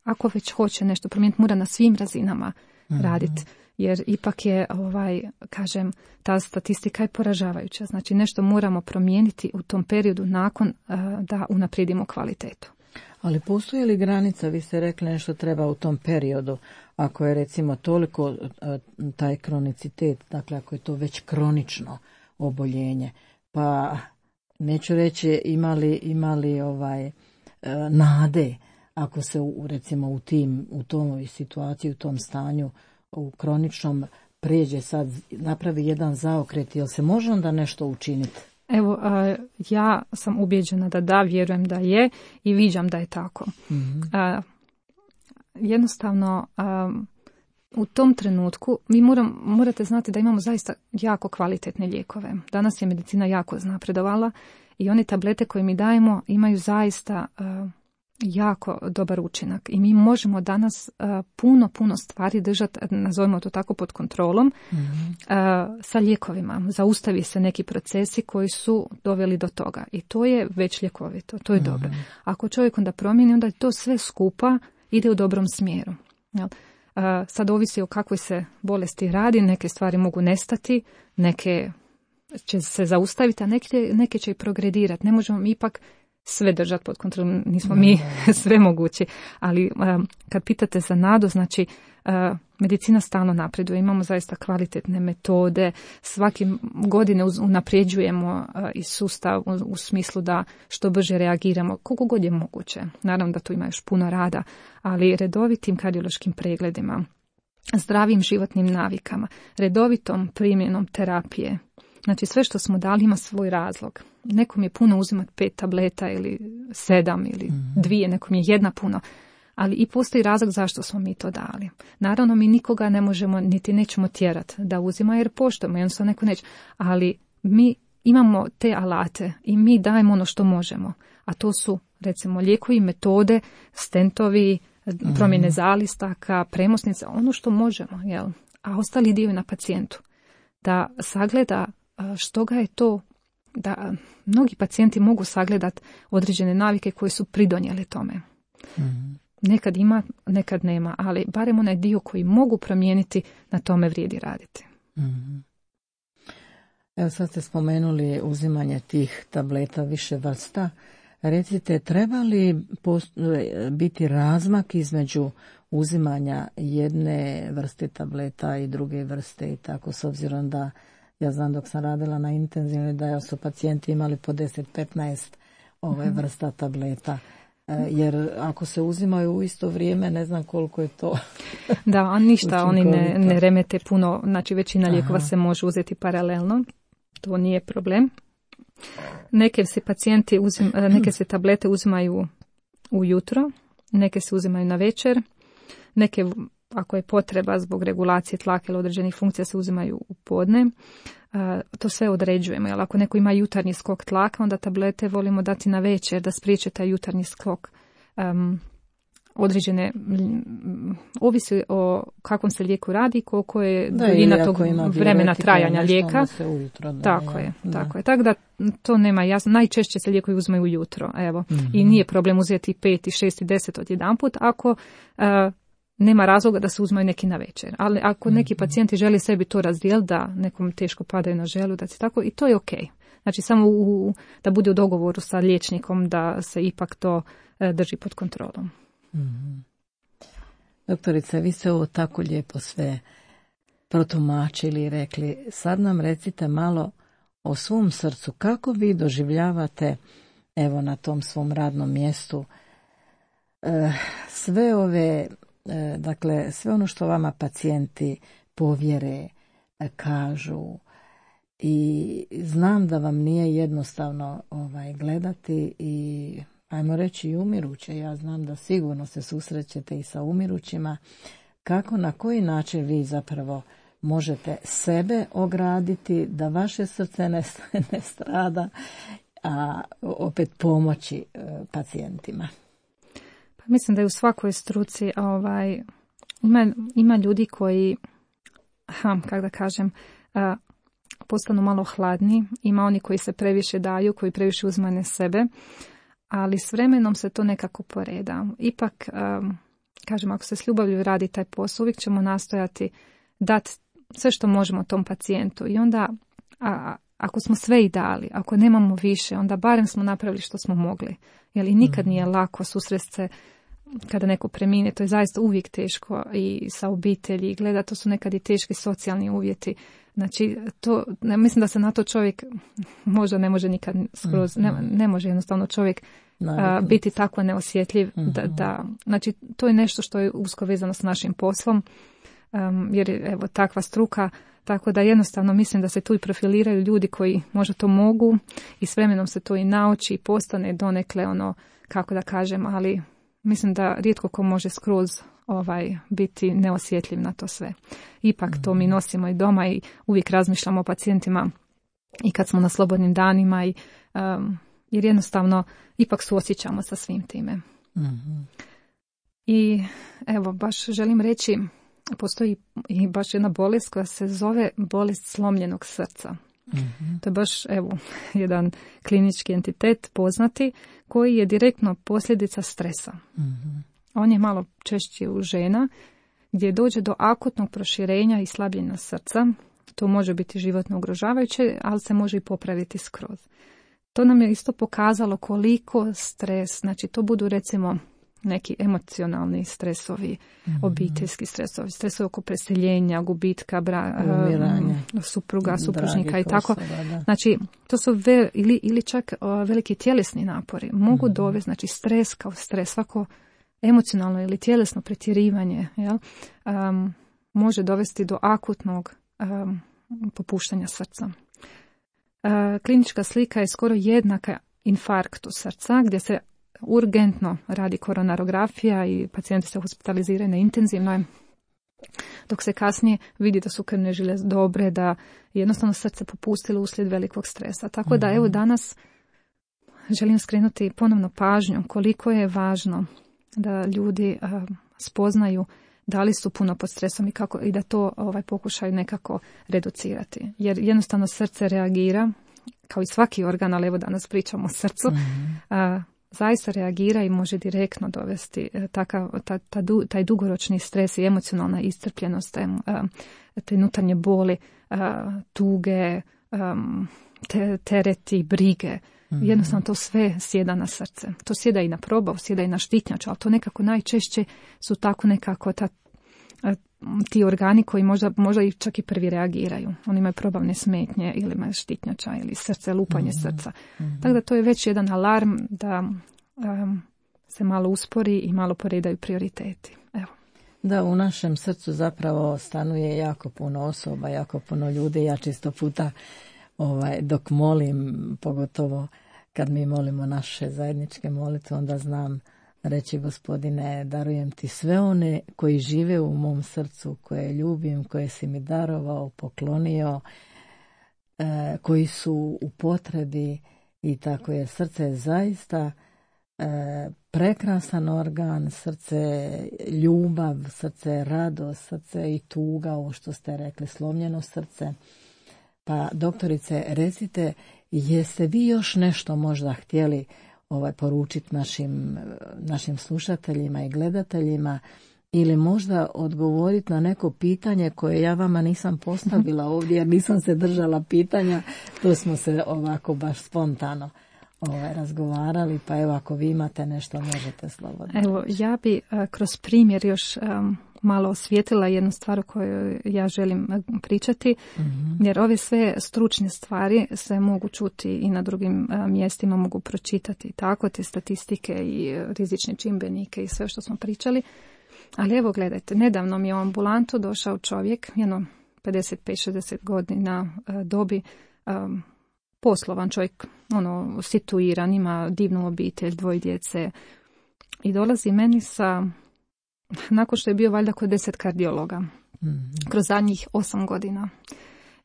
ako već hoće nešto promijeniti, mora na svim razinama mm-hmm. raditi. Jer ipak je, ovaj, kažem, ta statistika je poražavajuća. Znači nešto moramo promijeniti u tom periodu nakon uh, da unaprijedimo kvalitetu. Ali postoji li granica, vi ste rekli nešto treba u tom periodu, ako je recimo toliko uh, taj kronicitet, dakle ako je to već kronično oboljenje, pa neću reći imali, imali ovaj, uh, nade, ako se u, recimo u tim, u tom situaciji, u tom stanju, u kroničnom prijeđe sad, napravi jedan zaokret, jel se može onda nešto učiniti? Evo, ja sam ubijeđena da da, vjerujem da je i viđam da je tako. Mm-hmm. Jednostavno, u tom trenutku mi moram, morate znati da imamo zaista jako kvalitetne lijekove. Danas je medicina jako napredovala i one tablete koje mi dajemo imaju zaista jako dobar učinak i mi možemo danas uh, puno, puno stvari držati, nazovimo to tako, pod kontrolom mm-hmm. uh, sa lijekovima. Zaustavi se neki procesi koji su doveli do toga i to je već ljekovito, to je mm-hmm. dobro. Ako čovjek onda promijeni, onda to sve skupa ide u dobrom smjeru. Jel? Uh, sad ovisi o kakvoj se bolesti radi, neke stvari mogu nestati, neke će se zaustaviti, a neke, neke će i progredirati. Ne možemo mi ipak sve držati pod kontrolom, nismo mi sve mogući, ali um, kad pitate za nadu, znači uh, medicina stalno napreduje, imamo zaista kvalitetne metode, svake godine unapređujemo uh, i sustav u, u smislu da što brže reagiramo, koliko god je moguće. Naravno da tu ima još puno rada, ali redovitim kardiološkim pregledima, zdravim životnim navikama, redovitom primjenom terapije. Znači sve što smo dali ima svoj razlog. Nekom je puno uzimati pet tableta ili sedam ili mm-hmm. dvije, nekom je jedna puno. Ali i postoji razlog zašto smo mi to dali. Naravno mi nikoga ne možemo niti nećemo tjerati da uzima jer poštujemo, jednostavno neko neće. Ali mi imamo te alate i mi dajemo ono što možemo. A to su recimo lijekovi, metode, stentovi, mm-hmm. promjene zalistaka, premosnice, ono što možemo. Jel? A ostali dio je na pacijentu. Da sagleda što ga je to, da mnogi pacijenti mogu sagledati određene navike koje su pridonijele tome. Mm-hmm. Nekad ima, nekad nema, ali barem onaj dio koji mogu promijeniti, na tome vrijedi raditi. Mm-hmm. Evo sad ste spomenuli uzimanje tih tableta više vrsta. Recite, treba li post- biti razmak između uzimanja jedne vrste tableta i druge vrste i tako, s obzirom da ja znam dok sam radila na intenzivnoj da su pacijenti imali po deset do petnaest ove vrsta tableta. Jer ako se uzimaju u isto vrijeme, ne znam koliko je to. Da, a ništa, oni ne, ne remete puno, znači većina lijekova se može uzeti paralelno, to nije problem. Neke se pacijenti uzim, neke se tablete uzimaju ujutro, neke se uzimaju na večer, neke ako je potreba zbog regulacije tlaka ili određenih funkcija se uzimaju u podne. To sve određujemo, jer ako neko ima jutarnji skok tlaka, onda tablete volimo dati na večer da spriječe taj jutarnji skok um, određene, ovisi o kakvom se lijeku radi, koliko je duljina tog vremena trajanja lijeka. Ujutro, da, tako ja, je, da. tako je. Tako da to nema jasno. Najčešće se lijekovi uzmaju ujutro, evo. Mm-hmm. I nije problem uzeti pet i šest i deset odjedanput ako uh, nema razloga da se uzmaju neki na večer. Ali ako neki mm-hmm. pacijenti žele sebi to razdijeliti, da nekom teško padaju na želu, da se tako, i to je ok. Znači samo u, da bude u dogovoru sa liječnikom da se ipak to uh, drži pod kontrolom. Mm-hmm. Doktorice, vi ste ovo tako lijepo sve protumačili i rekli. Sad nam recite malo o svom srcu. Kako vi doživljavate, evo na tom svom radnom mjestu, e, sve ove, e, dakle, sve ono što vama pacijenti povjere, e, kažu, i znam da vam nije jednostavno ovaj, gledati i ajmo reći i umiruće. Ja znam da sigurno se susrećete i sa umirućima. Kako, na koji način vi zapravo možete sebe ograditi da vaše srce ne, ne strada, a opet pomoći e, pacijentima? Pa mislim da je u svakoj struci ovaj, ima, ima ljudi koji, ha, kako da kažem, a, postanu malo hladni, ima oni koji se previše daju, koji previše uzmane sebe, ali s vremenom se to nekako poreda. Ipak, um, kažem, ako se s ljubavlju radi taj posao, uvijek ćemo nastojati dati sve što možemo tom pacijentu. I onda, a, ako smo sve i dali, ako nemamo više, onda barem smo napravili što smo mogli. Jer i nikad nije lako susresti se kada neko premine, to je zaista uvijek teško i sa obitelji. Gleda, to su nekad i teški socijalni uvjeti. Znači, to, ne, mislim da se na to čovjek možda ne može nikad skroz, ne, ne može jednostavno čovjek a, biti tako neosjetljiv. Mm-hmm. Da, da, znači, to je nešto što je usko vezano s našim poslom, um, jer je evo, takva struka, tako da jednostavno mislim da se tu i profiliraju ljudi koji možda to mogu i s vremenom se to i nauči i postane donekle ono, kako da kažem, ali mislim da rijetko ko može skroz ovaj, biti neosjetljiv na to sve. Ipak to mi nosimo i doma i uvijek razmišljamo o pacijentima i kad smo na slobodnim danima i, um, jer jednostavno ipak suosjećamo sa svim time. Mm-hmm. I evo, baš želim reći, postoji i baš jedna bolest koja se zove bolest slomljenog srca. Mm-hmm. To je baš evo, jedan klinički entitet poznati koji je direktno posljedica stresa. Mm-hmm. On je malo češći u žena gdje dođe do akutnog proširenja i slabljenja srca. To može biti životno ugrožavajuće, ali se može i popraviti skroz. To nam je isto pokazalo koliko stres, znači to budu recimo neki emocionalni stresovi, mm-hmm. obiteljski stresovi, stresovi oko preseljenja, gubitka, bra, um, supruga, supružnika i tako. Osoba, znači, to su ve, ili, ili čak uh, veliki tjelesni napori. Mogu mm-hmm. dovesti, znači stres kao stres, svako emocionalno ili tjelesno pretjerivanje, jel, um, može dovesti do akutnog um, popuštanja srca. Uh, klinička slika je skoro jednaka infarktu srca, gdje se urgentno radi koronarografija i pacijenti se hospitaliziraju na intenzivnoj, dok se kasnije vidi da su krvne žile dobre, da jednostavno srce popustilo uslijed velikog stresa. Tako mm-hmm. da evo danas želim skrenuti ponovno pažnju koliko je važno da ljudi uh, spoznaju da li su puno pod stresom i, kako, i da to ovaj, pokušaju nekako reducirati. Jer jednostavno srce reagira, kao i svaki organ, ali evo danas pričamo o srcu, mm-hmm. uh, zaista reagira i može direktno dovesti takav, ta, ta, taj dugoročni stres i emocionalna iscrpljenost, te unutarnje boli, tuge, te, tereti, brige. Mm-hmm. Jednostavno to sve sjeda na srce. To sjeda i na probav, sjeda i na štitnjaču, ali to nekako najčešće su tako nekako ta, ti organi koji možda, možda i čak i prvi reagiraju. Oni imaju probavne smetnje ili imaju štitnjača ili srce, lupanje mm-hmm. srca. Mm-hmm. Tako da to je već jedan alarm da um, se malo uspori i malo poredaju prioriteti. Evo. Da, u našem srcu zapravo stanuje jako puno osoba, jako puno ljudi. Ja čisto puta ovaj, dok molim, pogotovo kad mi molimo naše zajedničke molitve, onda znam reći, Gospodine, darujem ti sve one koji žive u mom srcu, koje ljubim, koje si mi darovao, poklonio, eh, koji su u potrebi i tako, jer srce je zaista e, prekrasan organ, srce ljubav, srce radost, srce i tuga, ovo što ste rekli, slomljeno srce. Pa doktorice, recite, jeste vi još nešto možda htjeli ovaj, poručiti našim, našim slušateljima i gledateljima, ili možda odgovoriti na neko pitanje koje ja vama nisam postavila ovdje jer nisam se držala pitanja, to smo se ovako baš spontano ovaj, razgovarali, pa evo ako vi imate nešto možete slobodno. Evo, ja bi a, kroz primjer još um, malo osvijetlila jednu stvar o kojoj ja želim pričati, mm-hmm. jer ove sve stručne stvari se mogu čuti i na drugim a, mjestima, mogu pročitati tako, te statistike i a, rizične čimbenike i sve što smo pričali. Ali evo gledajte, nedavno mi je u ambulantu došao čovjek, jedno pedeset pet šezdeset godina a, dobi, a, poslovan čovjek, ono, situiran, ima divnu obitelj, dvoje djece i dolazi meni sa, nakon što je bio valjda kod deset kardiologa, mm-hmm. kroz zadnjih osam godina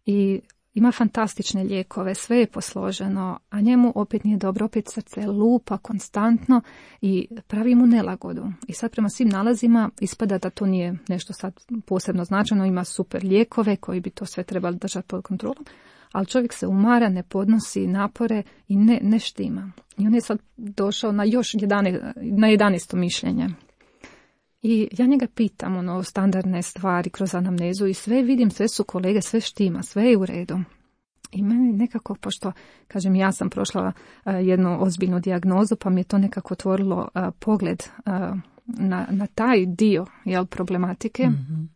i ima fantastične lijekove, sve je posloženo, a njemu opet nije dobro, opet srce lupa konstantno i pravi mu nelagodu. I sad prema svim nalazima ispada da to nije nešto sad posebno značajno, ima super lijekove koji bi to sve trebali držati pod kontrolom, ali čovjek se umara, ne podnosi napore i ne, ne štima. I on je sad došao na još jedanaest, na jedanaesto mišljenje. I ja njega pitam, ono, standardne stvari kroz anamnezu i sve vidim, sve su kolege, sve štima, sve je u redu. I meni nekako, pošto, kažem, ja sam prošla uh, jednu ozbiljnu dijagnozu, pa mi je to nekako otvorilo uh, pogled uh, na, na taj dio, jel, problematike. Mm-hmm.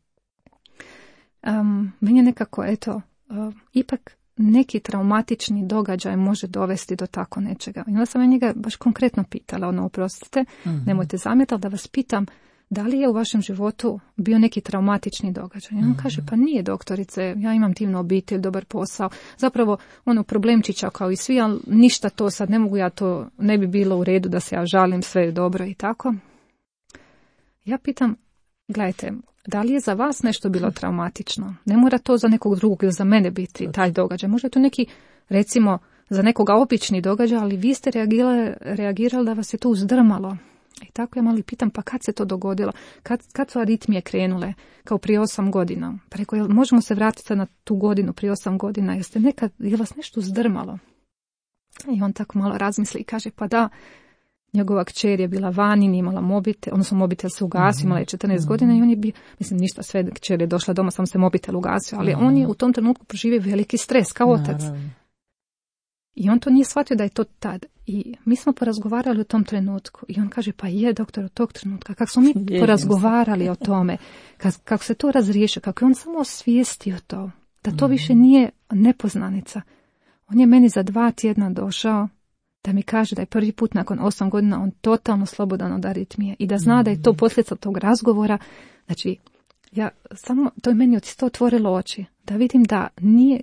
Um, meni je nekako, eto, uh, ipak neki traumatični događaj može dovesti do tako nečega. I onda sam ja njega baš konkretno pitala, ono, oprostite, mm-hmm. nemojte zamjetati da vas pitam, da li je u vašem životu bio neki traumatični događaj? I on mm-hmm. kaže, pa nije doktorice, ja imam divnu obitelj, dobar posao. Zapravo, ono, problemčića kao i svi, ali ništa to sad, ne mogu ja to, ne bi bilo u redu da se ja žalim, sve je dobro i tako. Ja pitam, gledajte, da li je za vas nešto bilo traumatično? Ne mora to za nekog drugog ili za mene biti taj događaj. Možda je to neki, recimo, za nekoga obični događaj, ali vi ste reagirali, reagirali da vas je to uzdrmalo. I tako ja malo pitam, pa kad se to dogodilo? Kad, kad su aritmije krenule? Kao prije osam godina. Pa rekao, jel možemo se vratiti na tu godinu prije osam godina? Jeste nekad, je vas nešto uzdrmalo? I on tako malo razmisli i kaže, pa da, njegova kćer je bila vani, nije imala mobitel, odnosno mobitel se ugasio, mm-hmm. imala je četrnaest mm-hmm. godina i on je bio, mislim ništa, sve kćer je došla doma, sam se mobitel ugasio, ali mm-hmm. on je u tom trenutku proživio veliki stres kao otac. Naravno. I on to nije shvatio da je to tad. I mi smo porazgovarali u tom trenutku. I on kaže, pa je doktor od tog trenutka. Kako smo mi Jedim porazgovarali se. O tome, kako, kako se to razriješio, kako je on samo osvijestio to, da to mm-hmm. više nije nepoznanica. On je meni za dva tjedna došao da mi kaže da je prvi put nakon osam godina on totalno slobodan od aritmije i da zna mm-hmm. da je to posljedica tog razgovora. Znači, ja samo, to je meni isto otvorilo oči, da vidim da nije,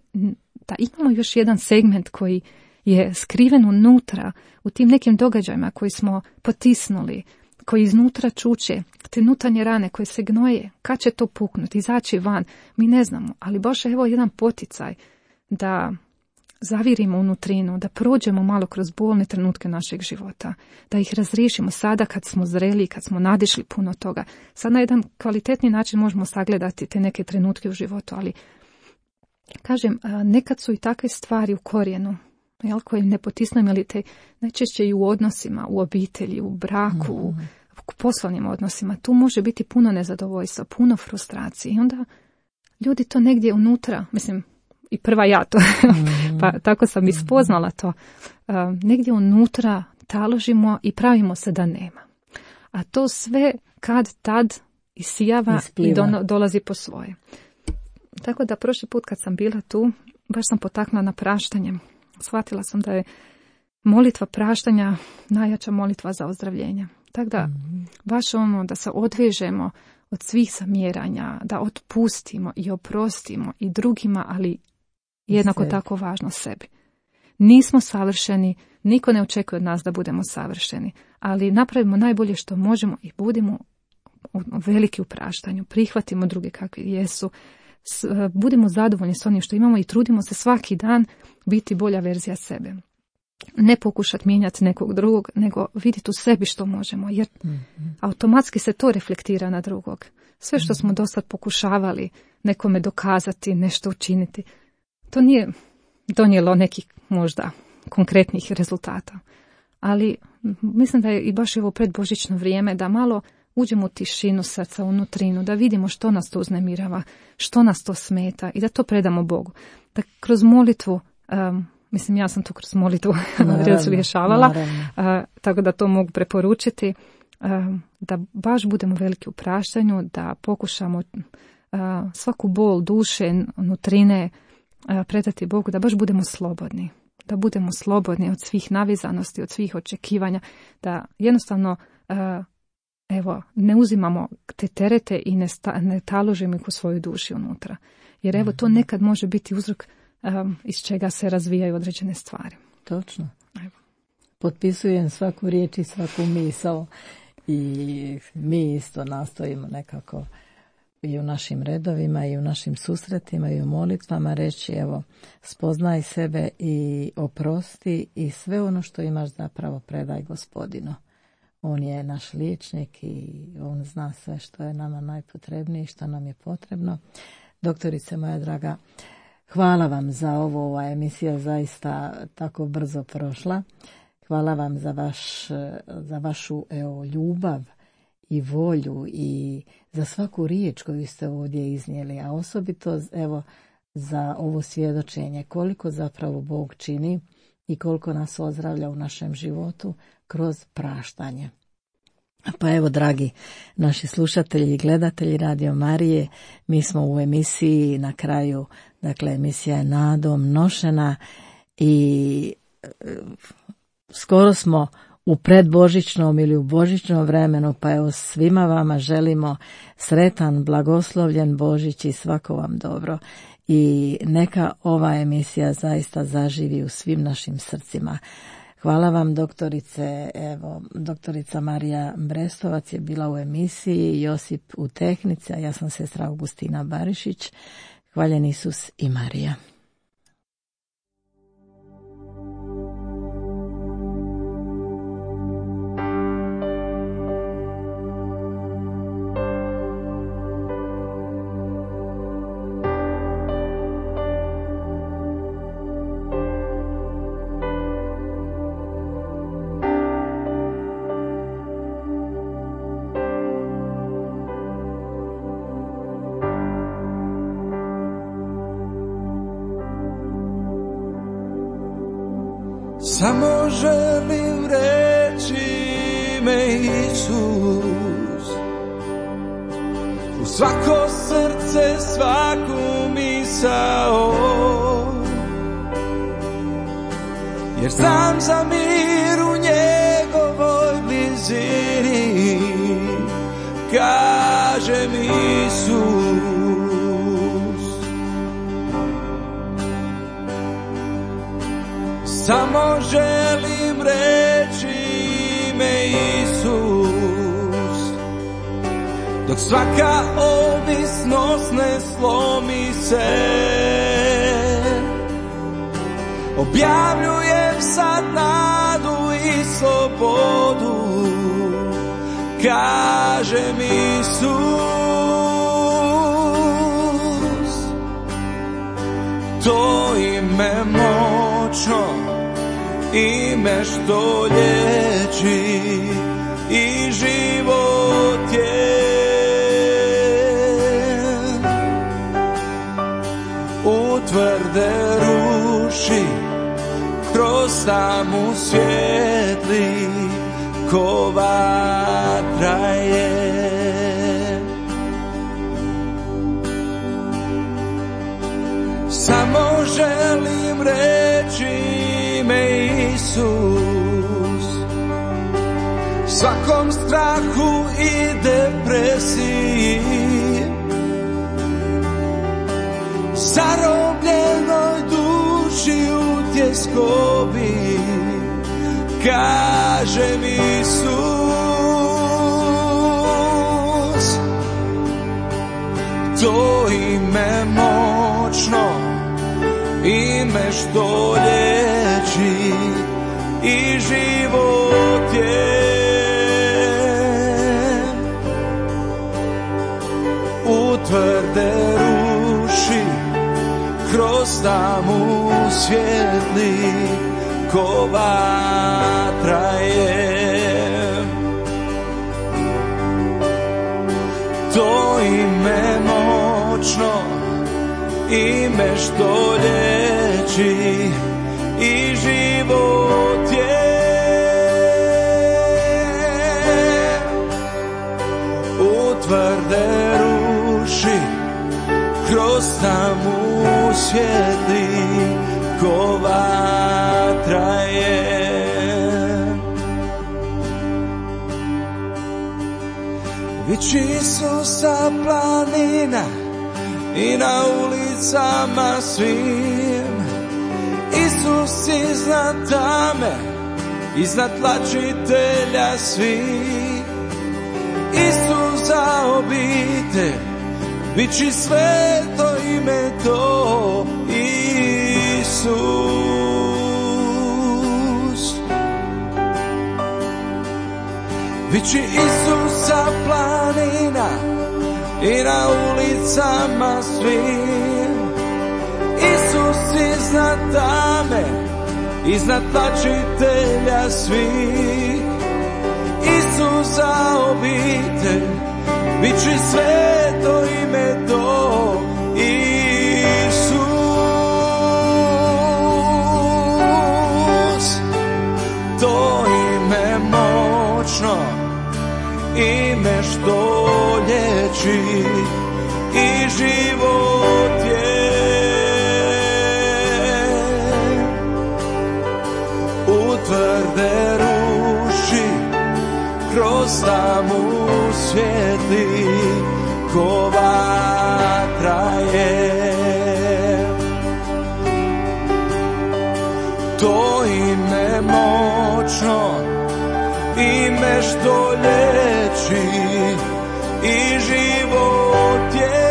da imamo još jedan segment koji je skriven unutra, u tim nekim događajima koji smo potisnuli, koji iznutra čuče, te unutarnje rane koje se gnoje, kad će to puknuti, izaći van, mi ne znamo, ali baš evo jedan poticaj da zavirimo unutrinu, da prođemo malo kroz bolne trenutke našeg života, da ih razriješimo sada kad smo zreli, kad smo nadišli puno toga. Sad na jedan kvalitetni način možemo sagledati te neke trenutke u životu, ali kažem, nekad su i takve stvari u korijenu, jel, koje ne potisnemo, ali te najčešće i u odnosima, u obitelji, u braku, mm. u poslovnim odnosima. Tu može biti puno nezadovoljstva, puno frustracije i onda ljudi to negdje unutra, mislim, i prva ja to, mm. pa tako sam i spoznala to, uh, negdje unutra taložimo i pravimo se da nema. A to sve kad tad isijava Ispliva. I do, dolazi po svoje. Tako da prošli put kad sam bila tu, baš sam potaknula na praštanje. Shvatila sam da je molitva praštanja najjača molitva za ozdravljenje. Tako da mm. baš ono da se odvežemo od svih zamjeranja, da otpustimo i oprostimo i drugima, ali jednako sebi. Tako važno sebi. Nismo savršeni, niko ne očekuje od nas da budemo savršeni, ali napravimo najbolje što možemo i budemo veliki u praštanju, prihvatimo druge kakvi jesu, budimo zadovoljni s onim što imamo i trudimo se svaki dan biti bolja verzija sebe. ne pokušati mijenjati nekog drugog, nego vidjeti u sebi što možemo, jer mm-hmm. automatski se to reflektira na drugog. Sve što mm-hmm. smo dosad pokušavali nekome dokazati, nešto učiniti, to nije donijelo nekih možda konkretnih rezultata. Ali mislim da je i baš ovo predbožićno vrijeme da malo uđemo u tišinu srca, u nutrinu, da vidimo što nas to uznemirava, što nas to smeta i da to predamo Bogu. Da kroz molitvu, um, mislim ja sam to kroz molitvu rješavala, uh, tako da to mogu preporučiti, uh, da baš budemo veliki u praštanju, da pokušamo uh, svaku bol duše, nutrine uh, predati Bogu, da baš budemo slobodni. Da budemo slobodni od svih navizanosti, od svih očekivanja, da jednostavno uh, evo, ne uzimamo te terete i ne, sta, ne taložimo ih u svoju duši unutra. Jer evo, to nekad može biti uzrok um, iz čega se razvijaju određene stvari. Točno. Evo. Potpisujem svaku riječ i svaku misao i mi isto nastojimo nekako i u našim redovima i u našim susretima i u molitvama reći evo, spoznaj sebe i oprosti i sve ono što imaš zapravo predaj Gospodinu. On je naš liječnik i on zna sve što je nama najpotrebnije i što nam je potrebno. Doktorice moja draga, hvala vam za ovo, ova emisija zaista tako brzo prošla. Hvala vam za, vaš, za vašu evo, ljubav i volju i za svaku riječ koju ste ovdje iznijeli, a osobito evo, za ovo svjedočenje koliko zapravo Bog čini i koliko nas ozdravlja u našem životu kroz praštanje. Pa evo, dragi naši slušatelji i gledatelji Radio Marije, mi smo u emisiji na kraju, dakle emisija je nadom nošena i e, skoro smo u predbožićnom ili u božićnom vremenu, pa evo svima vama želimo sretan, blagoslovljen Božić i svako vam dobro. I neka ova emisija zaista zaživi u svim našim srcima. Hvala vam, doktorice. Evo, doktorica Marija Brestovac je bila u emisiji, Josip u tehnici, a ja sam sestra Augustina Barišić. Hvaljen Isus i Marija. Samo želim reći ime Isus, u svako srce, svaku misao, jer znam za mir u njegovoj blizini, kažem Isus. Samo želim reći ime Isus, dok svaka ovisnost ne slomi se. Objavljujem sad nadu i slobodu, kažem Isus. To ime moćno, ime što liječi i život je. Utvrde ruši, kroz tamu svijetli, ko vatra je. Samo želim reći ime Isus, svakom strahu i depresiji, zarobljenoj duši u tjeskobi, kažem Isus. To ime moćno, ime što liječi i život je. U tvrde ruši, kroz tamu svijetli, ko vatra je. To ime moćno, ime što liječi i život je. U tvrde ruši, kroz tamu svijetli, ko vatra je. Viči Isusa planina i na ulicama svim, Isus iznad tame, iznad tlačitelja svih. Isus za obitelj, viči sveto ime to, Isus. Viči Isusa planina i na ulicama svim, Isus iznad tame, iznad tlačitelja svih. Isus za obitelj, viči sveto ime to, Isus. To ime moćno, ime što liječi i život je. U tvrde ruši, kroz tamu svijetli, ko vatra je. To ime moćno, ime što liječi i život je.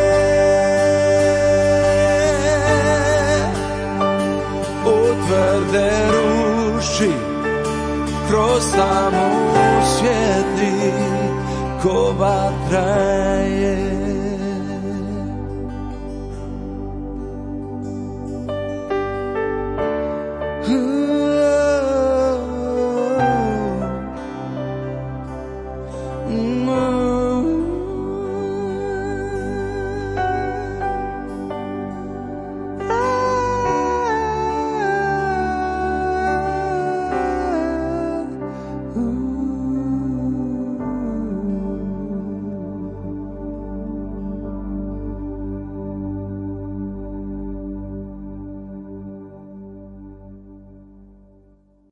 U tvrde ruši, kroz tamu svijetli, ko vatra je.